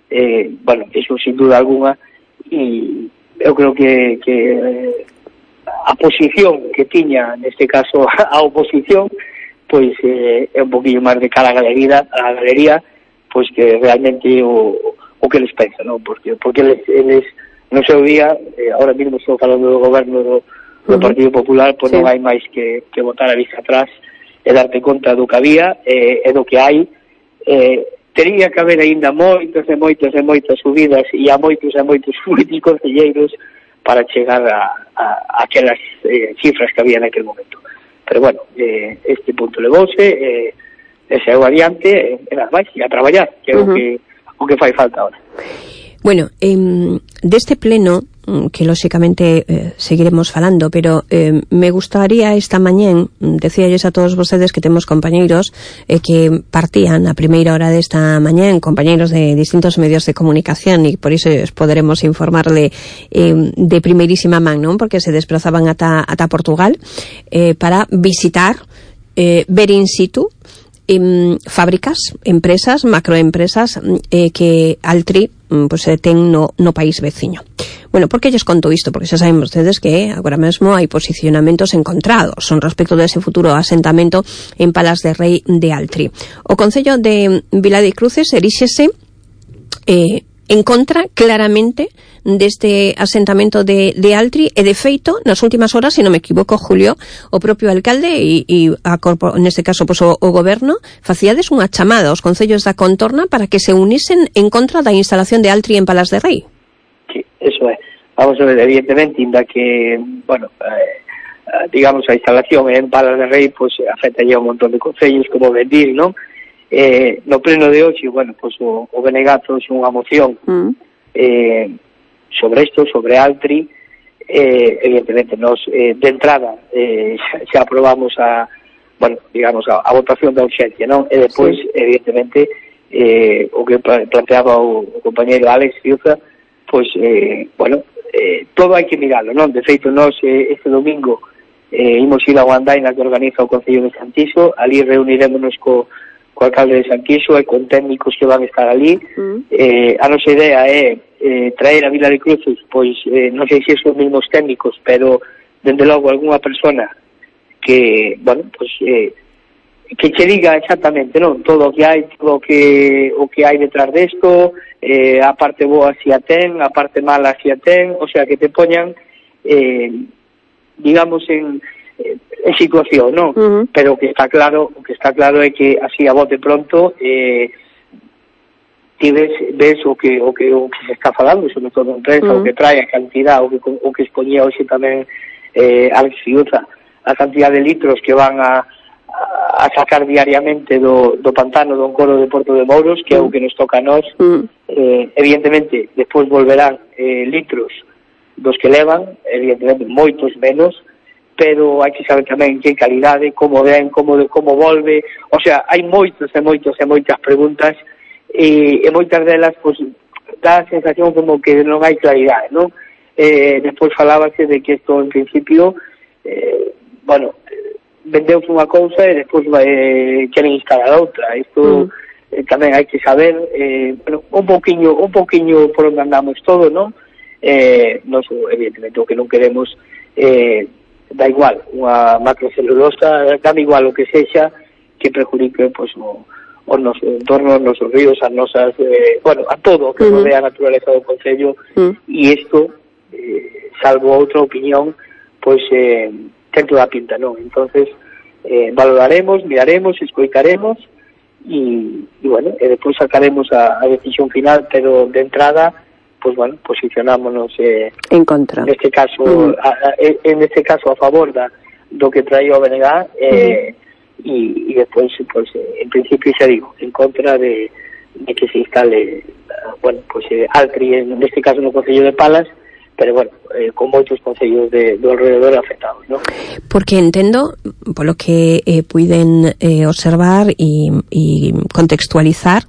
eh, bueno, eso sin duda alguna, e eu creo que, que eh, a posición que tiña, neste caso, a oposición, pois eh, é un poquillo máis de cara a galería, a galería, pois que realmente o o que les pensa, non? Porque, porque eles, eles no seu día, eh, ahora mesmo estou falando do goberno do, do Partido Popular, pois sí, non hai máis que, que botar a vista atrás e darte conta do que había eh, e do que hai. Eh, teria que haber aínda moitas e moitas e moitas subidas e a moitos e moitos moitos concelleiros para chegar a, a, a aquelas eh, cifras que había naquele momento. Pero, bueno, eh, este punto levouse, eh, e se eu adiante, e nada máis, e a traballar, que é uh-huh. o que o que fai falta ahora. Bueno, eh, deste pleno, que lóxicamente eh, seguiremos falando, pero eh, me gustaría esta mañén, decíalles a todos vostedes que temos compañeiros eh, que partían a primeira hora desta mañén, compañeiros de distintos medios de comunicación, e por iso poderemos informarle eh, de primeirísima man, non? Porque se desplazaban ata, ata Portugal eh, para visitar, eh, ver in situ em, fábricas, empresas, macroempresas eh, que Altri pues, eh, ten no, no país veciño. Bueno, por que lles conto isto? Porque xa saben vostedes que agora mesmo hai posicionamentos encontrados son respecto dese futuro asentamento en Palas de Rei de Altri. O Concello de Vila de Cruces eríxese eh, en contra claramente deste asentamento de, de Altri, e de feito, nas últimas horas, se non me equivoco, Julio, o propio alcalde e, e a corpo, neste caso pues, o, o goberno, facíades unha chamada aos concellos da contorna para que se unisen en contra da instalación de Altri en Palas de Rei. Sí, eso é. Vamos a ver, evidentemente, inda que, bueno, eh, digamos, a instalación en Palas de Rei, pues, afecta ya un montón de concellos, como ben dir, non? Eh, no pleno de hoxe, bueno, pues o, o B N G trouxe unha moción mm. eh, sobre isto, sobre Altri. Eh, evidentemente, nos eh, de entrada eh, xa, xa aprobamos a, bueno, digamos, a, a votación da urxencia, non? E depois, sí. evidentemente, eh, o que planteaba o, o compañeiro Alex Fiuza, pues, eh, bueno, eh, todo hai que miralo, non? De feito, nos eh, este domingo eh, imos ir a Guandaina, que organiza o Concello de Santiso. Ali reunirémonos co co alcalde de Santiso e con técnicos que van a estar ali. Mm. Eh, a nosa idea é eh, traer a Vila de Cruces, pois eh, non sei se son os mesmos técnicos, pero dende logo algunha persona que, bueno, pois eh, que che diga exactamente, non, todo o que hai, todo o que o que hai detrás desto, eh, a parte boa si a ten, a parte mala si a ten, o sea, que te poñan eh, digamos en en situación, non? Uh-huh. Pero o que está claro, o que está claro é que así a bote pronto eh, ti ves, ves o que o que o que se está falando, sobre todo en prensa, uh-huh. o que trae a cantidad, o que o que exponía hoxe tamén eh, Alex Fiuza, a cantidad de litros que van a a sacar diariamente do, do pantano do Encoro de Porto de Mouros, que uh-huh. é o que nos toca a nós. Uh-huh. eh, evidentemente, despois volverán eh, litros dos que levan, evidentemente moitos menos, pero hai que saber tamén que calidade, como ven, como como volve, o sea, hai moitos e moitos e moitas preguntas e, e moitas delas, pues, dá a sensación como que non hai claridade, non? Eh, despois falábase de que isto, en principio, eh, bueno, vendeuse unha cousa e despois eh, queren instalar outra. Isto mm. eh, tamén hai que saber, eh, bueno, un pouquiño, un pouquiño por onde andamos todo, non? Eh, nos, evidentemente, o que non queremos eh, da igual, unha macrocelulosa, dá igual o que sexa que perjudique, pois, o, o noso entorno, os nosos ríos, as nosas, eh, bueno, a todo o que rodea a naturaleza do Concello, uh-huh. e isto, eh, salvo outra opinión, pois, eh, ten toda a pinta, non? Entonces, eh, valoraremos, miraremos, escoitaremos, e, e bueno, e depois sacaremos a, a decisión final, pero de entrada, pues bueno, posicionámonos eh, en contra. Neste caso, uh-huh. a, a, en este caso a favor da do que traía o B N G, eh, uh-huh. e, e despois, pues, eh, en principio xa digo, en contra de, de que se instale, bueno, pues eh, Altri, en este caso no Concello de Palas, pero bueno, eh, con moitos concellos de, do alrededor afectados, ¿no? Porque entendo, polo que eh, puiden eh, observar e contextualizar,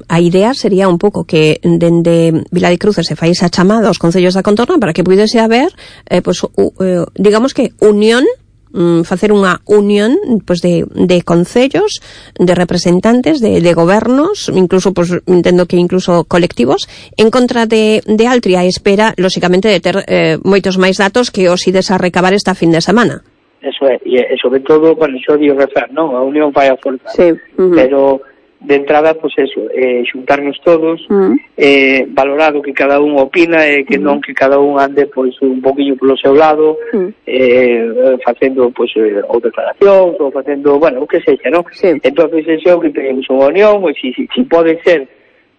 a idea sería un pouco que dende Vila de Cruces se fai esa chamada aos concellos da contorna para que pudese haber eh, pues, uh, uh, digamos que unión, um, facer unha unión pues, de, de concellos, de representantes, de, de gobernos, incluso pues, entendo que incluso colectivos, en contra de, de Altri, a espera, lóxicamente, de ter eh, moitos máis datos que os ides a recabar esta fin de semana. Eso é, e, e sobre todo, bueno, xo digo rezar, non? A unión fai a forza, sí. uh-huh. pero de entrada, pues eso, eh, xuntarnos todos, uh-huh. eh, valorar o que cada un opina, e eh, que uh-huh. non que cada un ande pois un poquinho polo seu lado, uh-huh. eh, facendo pois eh, ou declaracións, ou facendo, bueno, o que sexa, non? Sí. Entonces, eso é o que tenemos unha unión, e si, si, si pode ser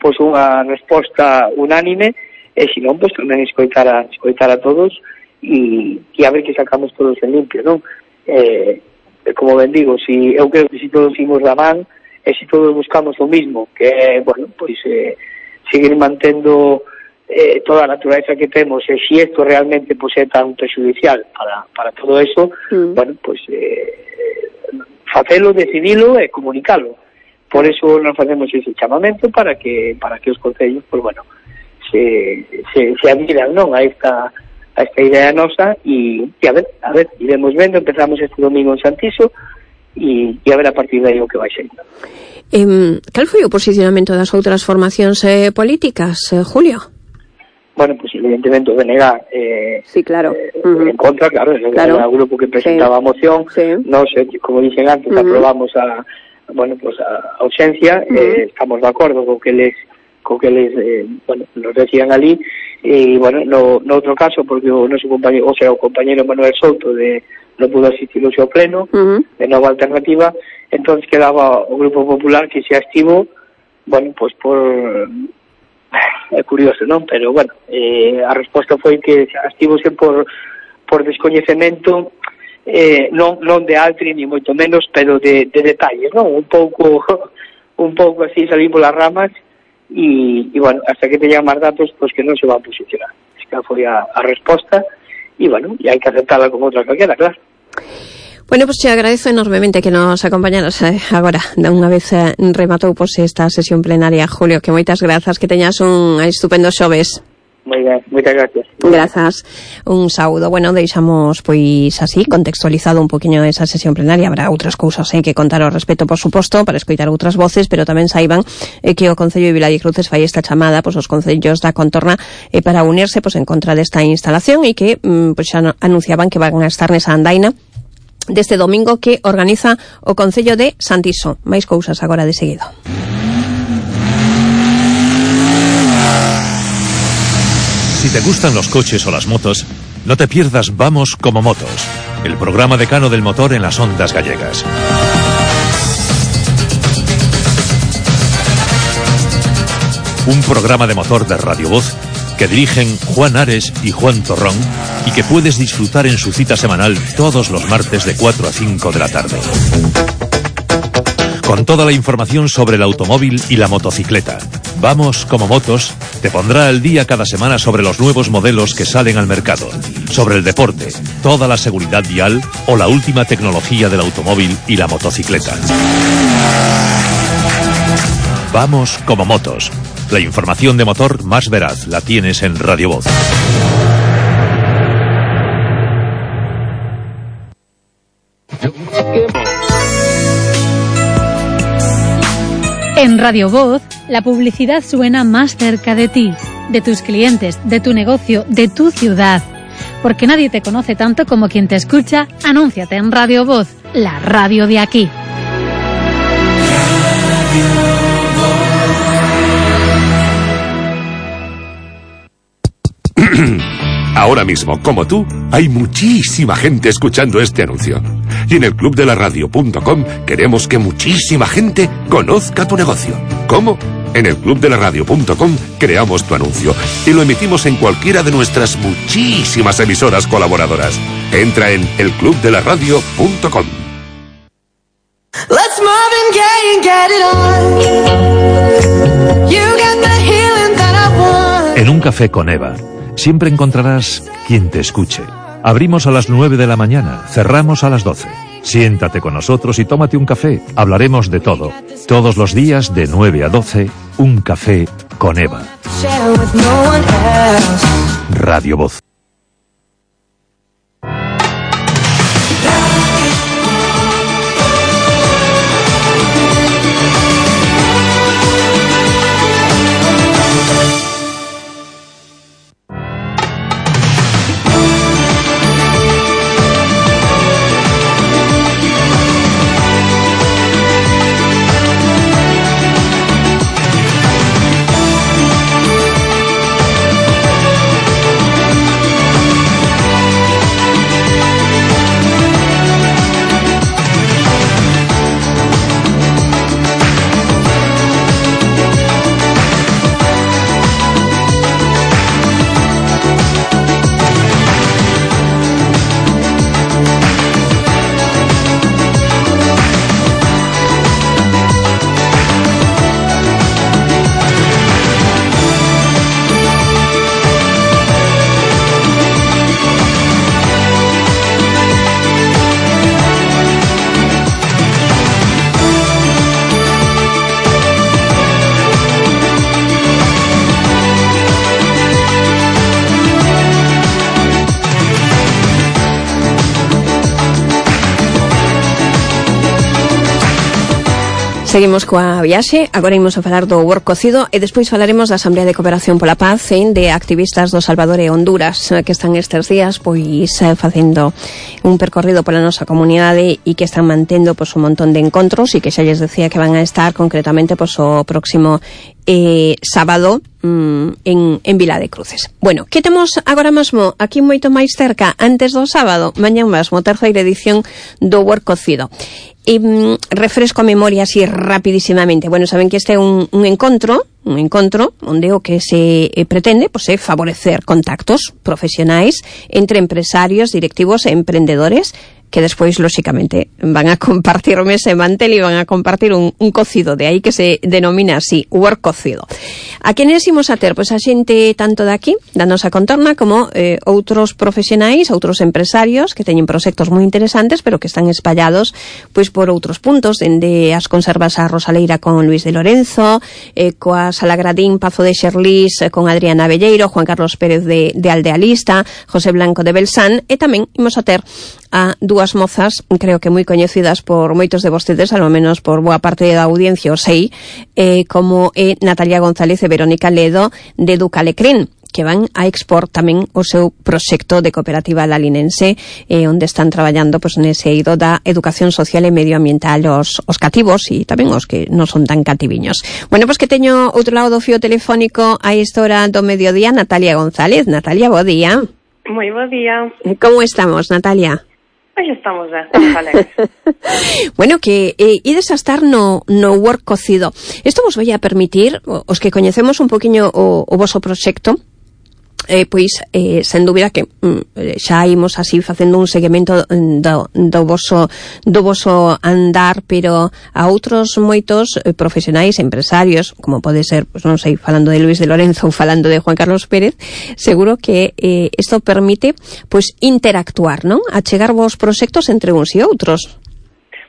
pois unha resposta unánime, e se non, pois tamén escoitar a, escoitar a todos e, e a ver que sacamos todos en limpio, non? Eh, como ben digo, si, eu creo que si todos imos da man, e se todos buscamos o mismo, que é, bueno, pois eh, seguir mantendo eh, toda a naturaleza que temos, e se isto realmente pois, é tan prejudicial para, para todo eso, mm. bueno, pois eh, facelo, decidilo e comunicalo. Por eso nos facemos ese chamamento para que para que os concellos, pois bueno, se, se, se adhiran, non, a esta a esta idea nosa, e, e a ver, a ver, iremos vendo, empezamos este domingo en Santiso, e, e a ver a partir de aí o que vai ser. Eh, cal foi o posicionamento das outras formacións eh, políticas, eh, Julio? Bueno, pues evidentemente o B N G eh, sí, claro. eh, uh-huh. en contra, claro, claro. Era o grupo que presentaba sí. a moción, sí. Nos, eh, como dicen antes, uh-huh. aprobamos a, bueno, pues a ausencia, uh-huh. eh, estamos de acordo con que les co que eles, eh, bueno, nos decían ali, e, bueno, no, no outro caso, porque o noso compañero, o sea, o compañero Manuel Souto de non pudo asistir ao seu pleno, uh-huh. de Nova Alternativa, entón quedaba o Grupo Popular que se estivo, bueno, pois pues por... é curioso, non? Pero, bueno, eh, a resposta foi que estivose por, por descoñecemento, eh, non, non de altri, ni moito menos, pero de, de detalles, non? Un pouco, un pouco así salimos las ramas, e, e bueno, hasta que teñan máis datos, pois pues que non se van a posicionar. Esta foi a, a resposta, e bueno, e hai que aceptarla como outra calquera, claro. Bueno, pues te agradezco enormemente que nos acompañaras eh, agora, de unha vez eh, rematou pues, esta sesión plenaria, Julio, que moitas grazas, que teñas un estupendo xoves. Moi ben, moitas gracias. Grazas, un saúdo. Bueno, deixamos pois así, contextualizado un poquinho esa sesión plenaria. Habrá outras cousas eh, que contar ao respecto, por suposto, para escoitar outras voces, pero tamén saiban eh, que o Concello de Viladecruces fai esta chamada pois, os concellos da contorna eh, para unirse pois, en contra desta instalación e que mm, pois, xa anunciaban que van a estar nesa andaina deste domingo que organiza o Concello de Santiso. Máis cousas agora de seguido. Si te gustan los coches o las motos, no te pierdas Vamos como Motos, el programa decano del motor en las ondas gallegas. Un programa de motor de Radio Voz que dirigen Juan Ares y Juan Torrón y que puedes disfrutar en su cita semanal todos los martes de cuatro a cinco de la tarde. Con toda la información sobre el automóvil y la motocicleta. Vamos como Motos te pondrá al día cada semana sobre los nuevos modelos que salen al mercado, sobre el deporte, toda la seguridad vial o la última tecnología del automóvil y la motocicleta. Vamos como Motos. La información de motor más veraz la tienes en Radio Voz. En Radio Voz, la publicidad suena más cerca de ti, de tus clientes, de tu negocio, de tu ciudad. Porque nadie te conoce tanto como quien te escucha, anúnciate en Radio Voz, la radio de aquí. Ahora mismo, como tú, hay muchísima gente escuchando este anuncio. Y en el club de la radio punto com queremos que muchísima gente conozca tu negocio. ¿Cómo? En el club de la radio punto com creamos tu anuncio y lo emitimos en cualquiera de nuestras muchísimas emisoras colaboradoras. Entra en el club de la radio punto com. Let's Marvin Gaye and get it on. You got the healing that I want. En un café con Eva siempre encontrarás quien te escuche. Abrimos a las nueve de la mañana, cerramos a las doce. Siéntate con nosotros y tómate un café. Hablaremos de todo. Todos los días de nueve a doce, un café con Eva. Radio Voz. Seguimos coa viaxe, agora imos a falar do work cocido e despois falaremos da Asamblea de Cooperación pola Paz e de activistas do Salvador e Honduras que están estes días pois facendo un percorrido pola nosa comunidade e que están mantendo pois un montón de encontros e que xa lles decía que van a estar concretamente pois o próximo eh, sábado mm, en, en Vila de Cruces. Bueno, que temos agora mesmo aquí moito máis cerca antes do sábado, mañán mesmo, terceira edición do work cocido. E mm, refresco a memoria así rapidísimamente. Bueno, saben que este é un, un encontro, un encontro onde o que se eh, pretende pois, é favorecer contactos profesionais entre empresarios, directivos e emprendedores que despois, lóxicamente, van a compartir o mesa e mantel e van a compartir un, un cocido, de aí que se denomina así, work cocido. A quenes imos a ter? Pois a xente tanto de aquí, da nosa contorna, como eh, outros profesionais, outros empresarios que teñen proxectos moi interesantes, pero que están espallados pois por outros puntos, dende as conservas a Rosaleira con Luis de Lorenzo, eh, coa Salagradín Pazo de Xerlís eh, con Adriana Belleiro, Juan Carlos Pérez de, de Aldealista, José Blanco de Belsan, e tamén imos a ter a dúas mozas, creo que moi coñecidas por moitos de vostedes, ao menos por boa parte da audiencia, o sei, eh, como é Natalia González e Verónica Ledo de Ducalecrín, que van a expor tamén o seu proxecto de cooperativa lalinense, eh, onde están traballando pois, nese eido da educación social e medioambiental os, os cativos e tamén os que non son tan cativiños. Bueno, pois que teño outro lado do fío telefónico a esta hora do mediodía, Natalia González. Natalia, bo día. Moi bo día. Como estamos, Natalia? Pois estamos ben, estamos alegres. Bueno, que eh, ides a estar no, no work cocido. Isto vos vai a permitir, os que coñecemos un poquinho o, o voso proxecto, eh, pois, eh, sen dúbida que mm, xa imos así facendo un seguimento do, do, voso, do voso andar, pero a outros moitos eh, profesionais, empresarios, como pode ser, pois non sei, falando de Luis de Lorenzo ou falando de Juan Carlos Pérez, seguro que eh, isto permite pois interactuar, non? Achegar vos proxectos entre uns e outros.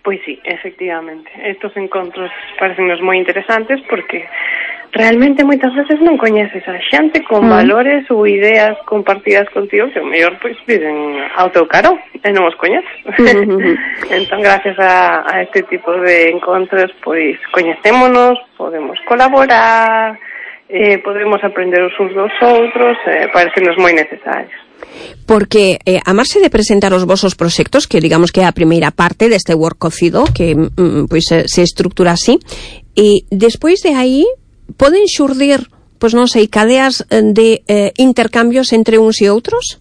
Pois sí, efectivamente. Estos encontros parecennos moi interesantes porque realmente moitas veces non coñeces a xente con mm. valores ou ideas compartidas contigo que o mellor pois viven ao teu carón e non os coñeces. Mm-hmm. Entón, gracias a, a este tipo de encontros, pois coñecémonos, podemos colaborar, eh, podemos aprender os uns dos outros, eh, parecenos moi necesarios. Porque eh, a marxe de presentar os vosos proxectos, que digamos que é a primeira parte deste work cocido, que mm, pois se estructura así, e despois de aí poden xurdir, pois non sei, cadeas de eh, intercambios entre uns e outros?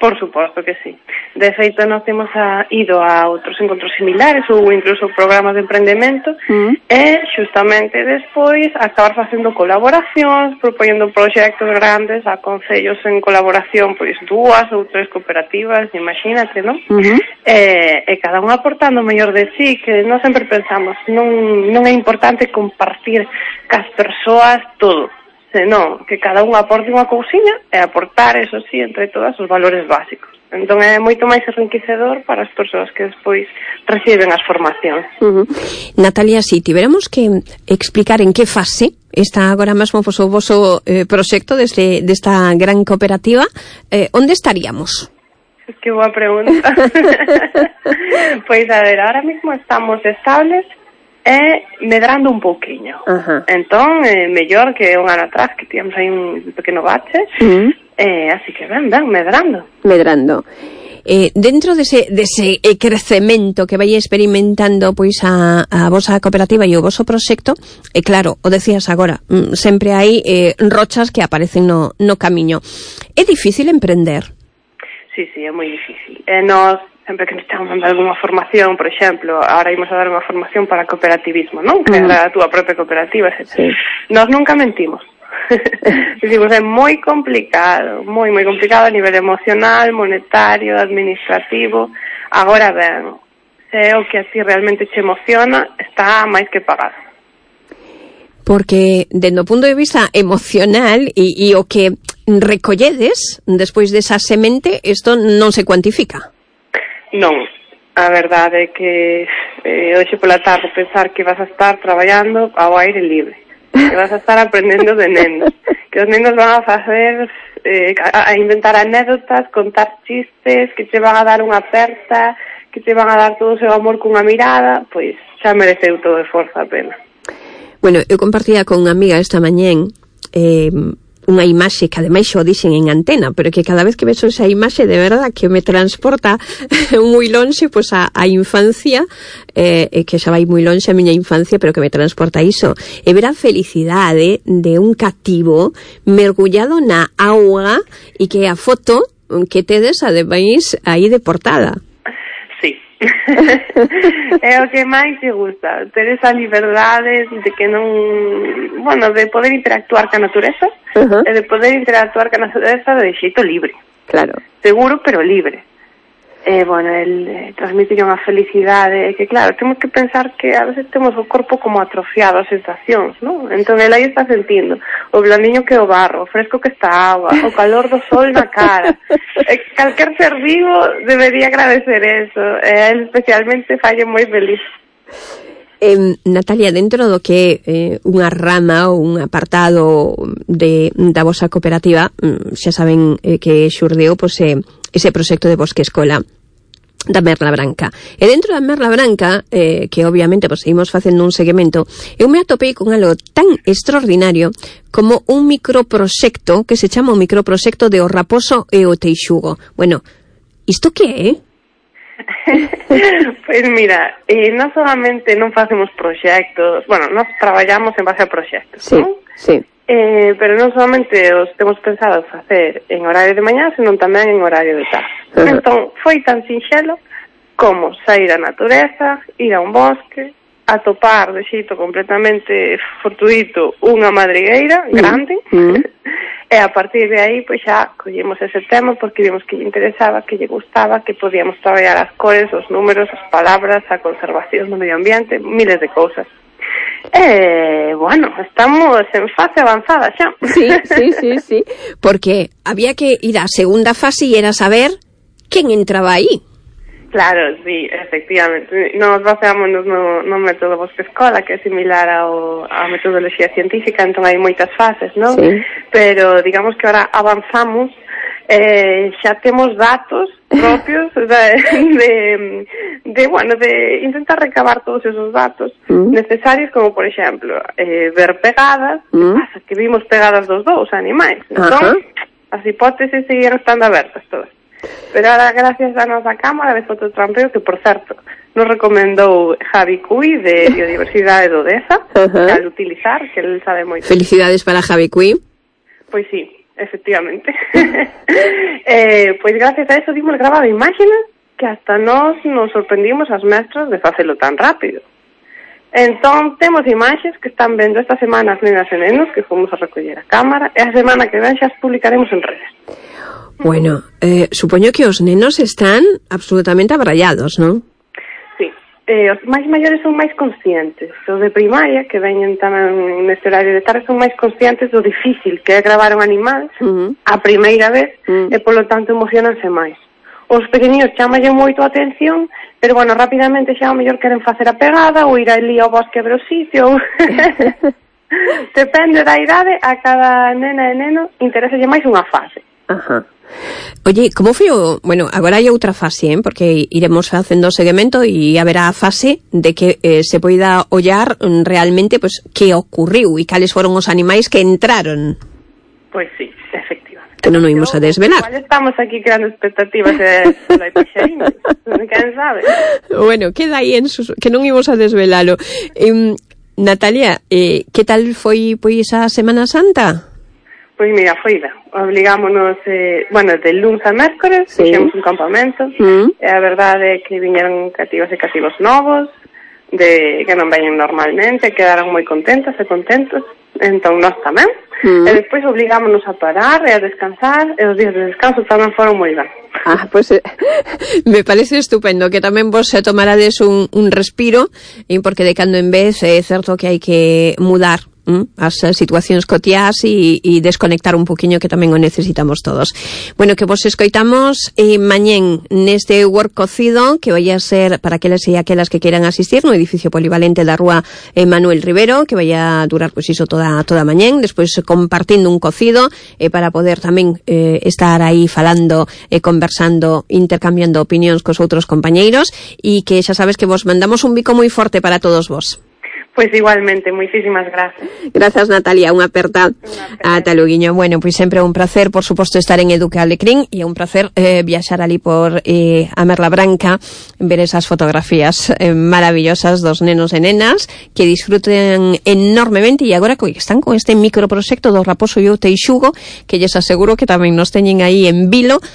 Por suposto que sí. De feito, nós temos a, ido a outros encontros similares ou incluso programas de emprendemento mm. e justamente despois acabar facendo colaboracións, propoñendo proxectos grandes a concellos en colaboración, pois dúas ou tres cooperativas, imagínate, non? Mm-hmm. E, e cada un aportando o mellor de sí, que nós sempre pensamos, non, non é importante compartir cas persoas todo, senón que cada un aporte unha cousiña e aportar, eso sí, entre todas os valores básicos. Entón é moito máis enriquecedor para as persoas que despois reciben as formacións. Uh-huh. Natalia, si tiveramos que explicar en que fase está agora mesmo o voso eh, proxecto deste, desta gran cooperativa, eh, onde estaríamos? Es que boa pregunta. Pois a ver, ahora mismo estamos estables e medrando un pouquiño. Uh-huh. Entón, eh, mellor que un ano atrás que tivemos aí un pequeno bache, uh-huh. eh, así que ben, ben, medrando. Medrando. Eh, dentro dese, dese crecemento que vai experimentando pois a, a vosa cooperativa e o voso proxecto, e eh, claro, o decías agora, mm, sempre hai eh, rochas que aparecen no, no camiño. É difícil emprender? Sí, sí, é moi difícil. E nós sempre que nos estamos dando alguna formación, por exemplo, ahora imos a dar unha formación para cooperativismo, non? Crear uh-huh. a túa propia cooperativa, etcétera. Sí. Nós nunca mentimos. Dicimos, é moi complicado, moi, moi complicado a nivel emocional, monetario, administrativo. Agora ben, se é o que a ti realmente te emociona, está máis que pagado. Porque, dende o punto de vista emocional e, e o que recolledes despois desa semente, isto non se cuantifica. Non, a verdade é que eh, hoxe pola tarde pensar que vas a estar traballando ao aire libre, que vas a estar aprendendo de nenos, que os nenos van a facer eh, a, a inventar anécdotas, contar chistes, que te van a dar unha aperta, que te van a dar todo o seu amor cunha mirada, pois xa mereceu todo o esforzo a pena. Bueno, eu compartía con unha amiga esta mañén eh, unha imaxe que ademais xo dixen en antena, pero que cada vez que vexo esa imaxe de verdad que me transporta moi lonxe pois a, a infancia, eh, que xa vai moi lonxe a miña infancia, pero que me transporta a iso, e ver a felicidade de un cativo mergullado na auga e que a foto que tedes ademais aí de portada. Sí. É o que máis te gusta, ter esa liberdade de que non, bueno, de poder interactuar ca natureza, uh-huh. e de poder interactuar ca natureza de xeito libre. Claro. Seguro, pero libre. E, bueno, el eh, transmitir unha felicidade, que claro, temos que pensar que a veces temos o corpo como atrofiado as sensacións, non? Entón, el aí está sentindo o blandiño que o barro, o fresco que está a agua, o calor do sol na cara. E calquer ser vivo debería agradecer eso, e el especialmente falle moi feliz. Eh, Natalia, dentro do que eh, unha rama ou un apartado de, da vosa cooperativa, xa saben eh, que xurdeu pois, eh, ese proxecto de Bosque Escola da Merla Branca. E dentro da Merla Branca, eh, que obviamente pues, seguimos facendo un seguimento, eu me atopei con algo tan extraordinario como un microproxecto que se chama o microproxecto de O Raposo e o Teixugo. Bueno, isto que é? Pois mira, eh, non solamente non facemos proxectos, bueno, nós traballamos en base a proxectos, sí, non? Sí. Eh, pero non solamente os temos pensado facer en horario de mañá, senón tamén en horario de tarde. Uh-huh. Entón, foi tan sinxelo como sair á natureza, ir a un bosque, atopar de xeito completamente fortuito unha madrigueira grande, uh-huh. e a partir de aí, pois xa collemos ese tema porque vimos que lle interesaba, que lle gustaba, que podíamos traballar as cores, os números, as palabras, a conservación do medio ambiente, miles de cousas. Eh, bueno, estamos en fase avanzada xa. Sí, sí, sí, sí, porque había que ir á segunda fase e era saber quen entraba aí. Claro, sí, efectivamente. Nos baseámonos no, no método Bosque Escola, que é similar ao, a metodoloxía científica, entón hai moitas fases, non? Sí. Pero digamos que ahora avanzamos, eh, xa temos datos propios de, de, de, bueno, de intentar recabar todos esos datos mm. necesarios, como por exemplo, eh, ver pegadas, mm. que pasa que vimos pegadas dos dous animais, entón, uh-huh. as hipótesis seguían estando abertas todas. Pero ahora, gracias a nosa cámara de fototrampeo, que por certo nos recomendou Javi Cui de Biodiversidade do Deza, uh-huh. que al utilizar, que el sabe moito. Felicidades para Javi Cui. Pois sí, efectivamente. eh, pois gracias a eso dimos grabado imágenes que hasta nos nos sorprendimos as mestras de facelo tan rápido. Entón, temos imaxes que están vendo esta semana as nenas e nenos que fomos a recoller a cámara, e a semana que ven xa as publicaremos en redes. Bueno, eh, supoño que os nenos están absolutamente abrallados, non? Sí, eh, os máis maiores son máis conscientes. Os de primaria, que veñen tamén neste horario de tarde, son máis conscientes do difícil que é gravar un animal uh-huh. a primeira vez, uh-huh. e polo tanto emocionanse máis. Os pequeninos chamallen moito a atención, pero bueno, rapidamente xa o mellor queren facer a pegada ou ir ali ao bosque a ver o sitio. Depende da idade, a cada nena e neno interessalle máis unha fase. Ajá. Oye, como foi o... Bueno, agora hai outra fase, eh? Porque iremos facendo o seguimento e haberá a fase de que eh, se poida ollar realmente pues, que ocurriu e cales foron os animais que entraron. Pois sí, efectivamente. Que non o imos a desvelar. Igual estamos aquí creando expectativas de solo hai paxariños. Quen sabe? Bueno, queda aí en sus... que non imos a desvelalo. Eh, Natalia, eh, que tal foi pois a Semana Santa? Pois mira, foida. Obligámonos, eh, bueno, de luns a mércores, sí. Fixemos un campamento, mm. e a verdade é que viñeron cativos e cativos novos, de que non veñen normalmente, quedaron moi contentas e contentos, entón nós tamén, mm. e despois obligámonos a parar e a descansar, e os días de descanso tamén foron moi ben. Ah, pois pues, eh, me parece estupendo que tamén vos se tomarades un, un respiro, e porque de cando en vez é certo que hai que mudar mm, as situacións cotiás e, e desconectar un poquinho, que tamén o necesitamos todos. Bueno, que vos escoitamos eh, mañén neste work cocido, que vai a ser para aquelas e aquelas que queiran asistir no edificio polivalente da rúa eh, Manuel Rivero, que vai a durar pois iso toda toda mañén, despois compartindo un cocido eh, para poder tamén eh, estar aí falando, eh, conversando, intercambiando opinións cos outros compañeiros, e que xa sabes que vos mandamos un bico moi forte para todos vos. Pois igualmente, moitísimas gracias. Grazas, Natalia, unha aperta. Ata loguiño. Bueno, pois sempre é un placer, por suposto, estar en Educa Alecrín, e é un placer eh, viaxar ali por eh, a Merla Branca, ver esas fotografías eh, maravillosas dos nenos e nenas que disfruten enormemente, e agora que están con este microproxecto do Raposo e o Teixugo, que lles aseguro que tamén nos teñen aí en vilo a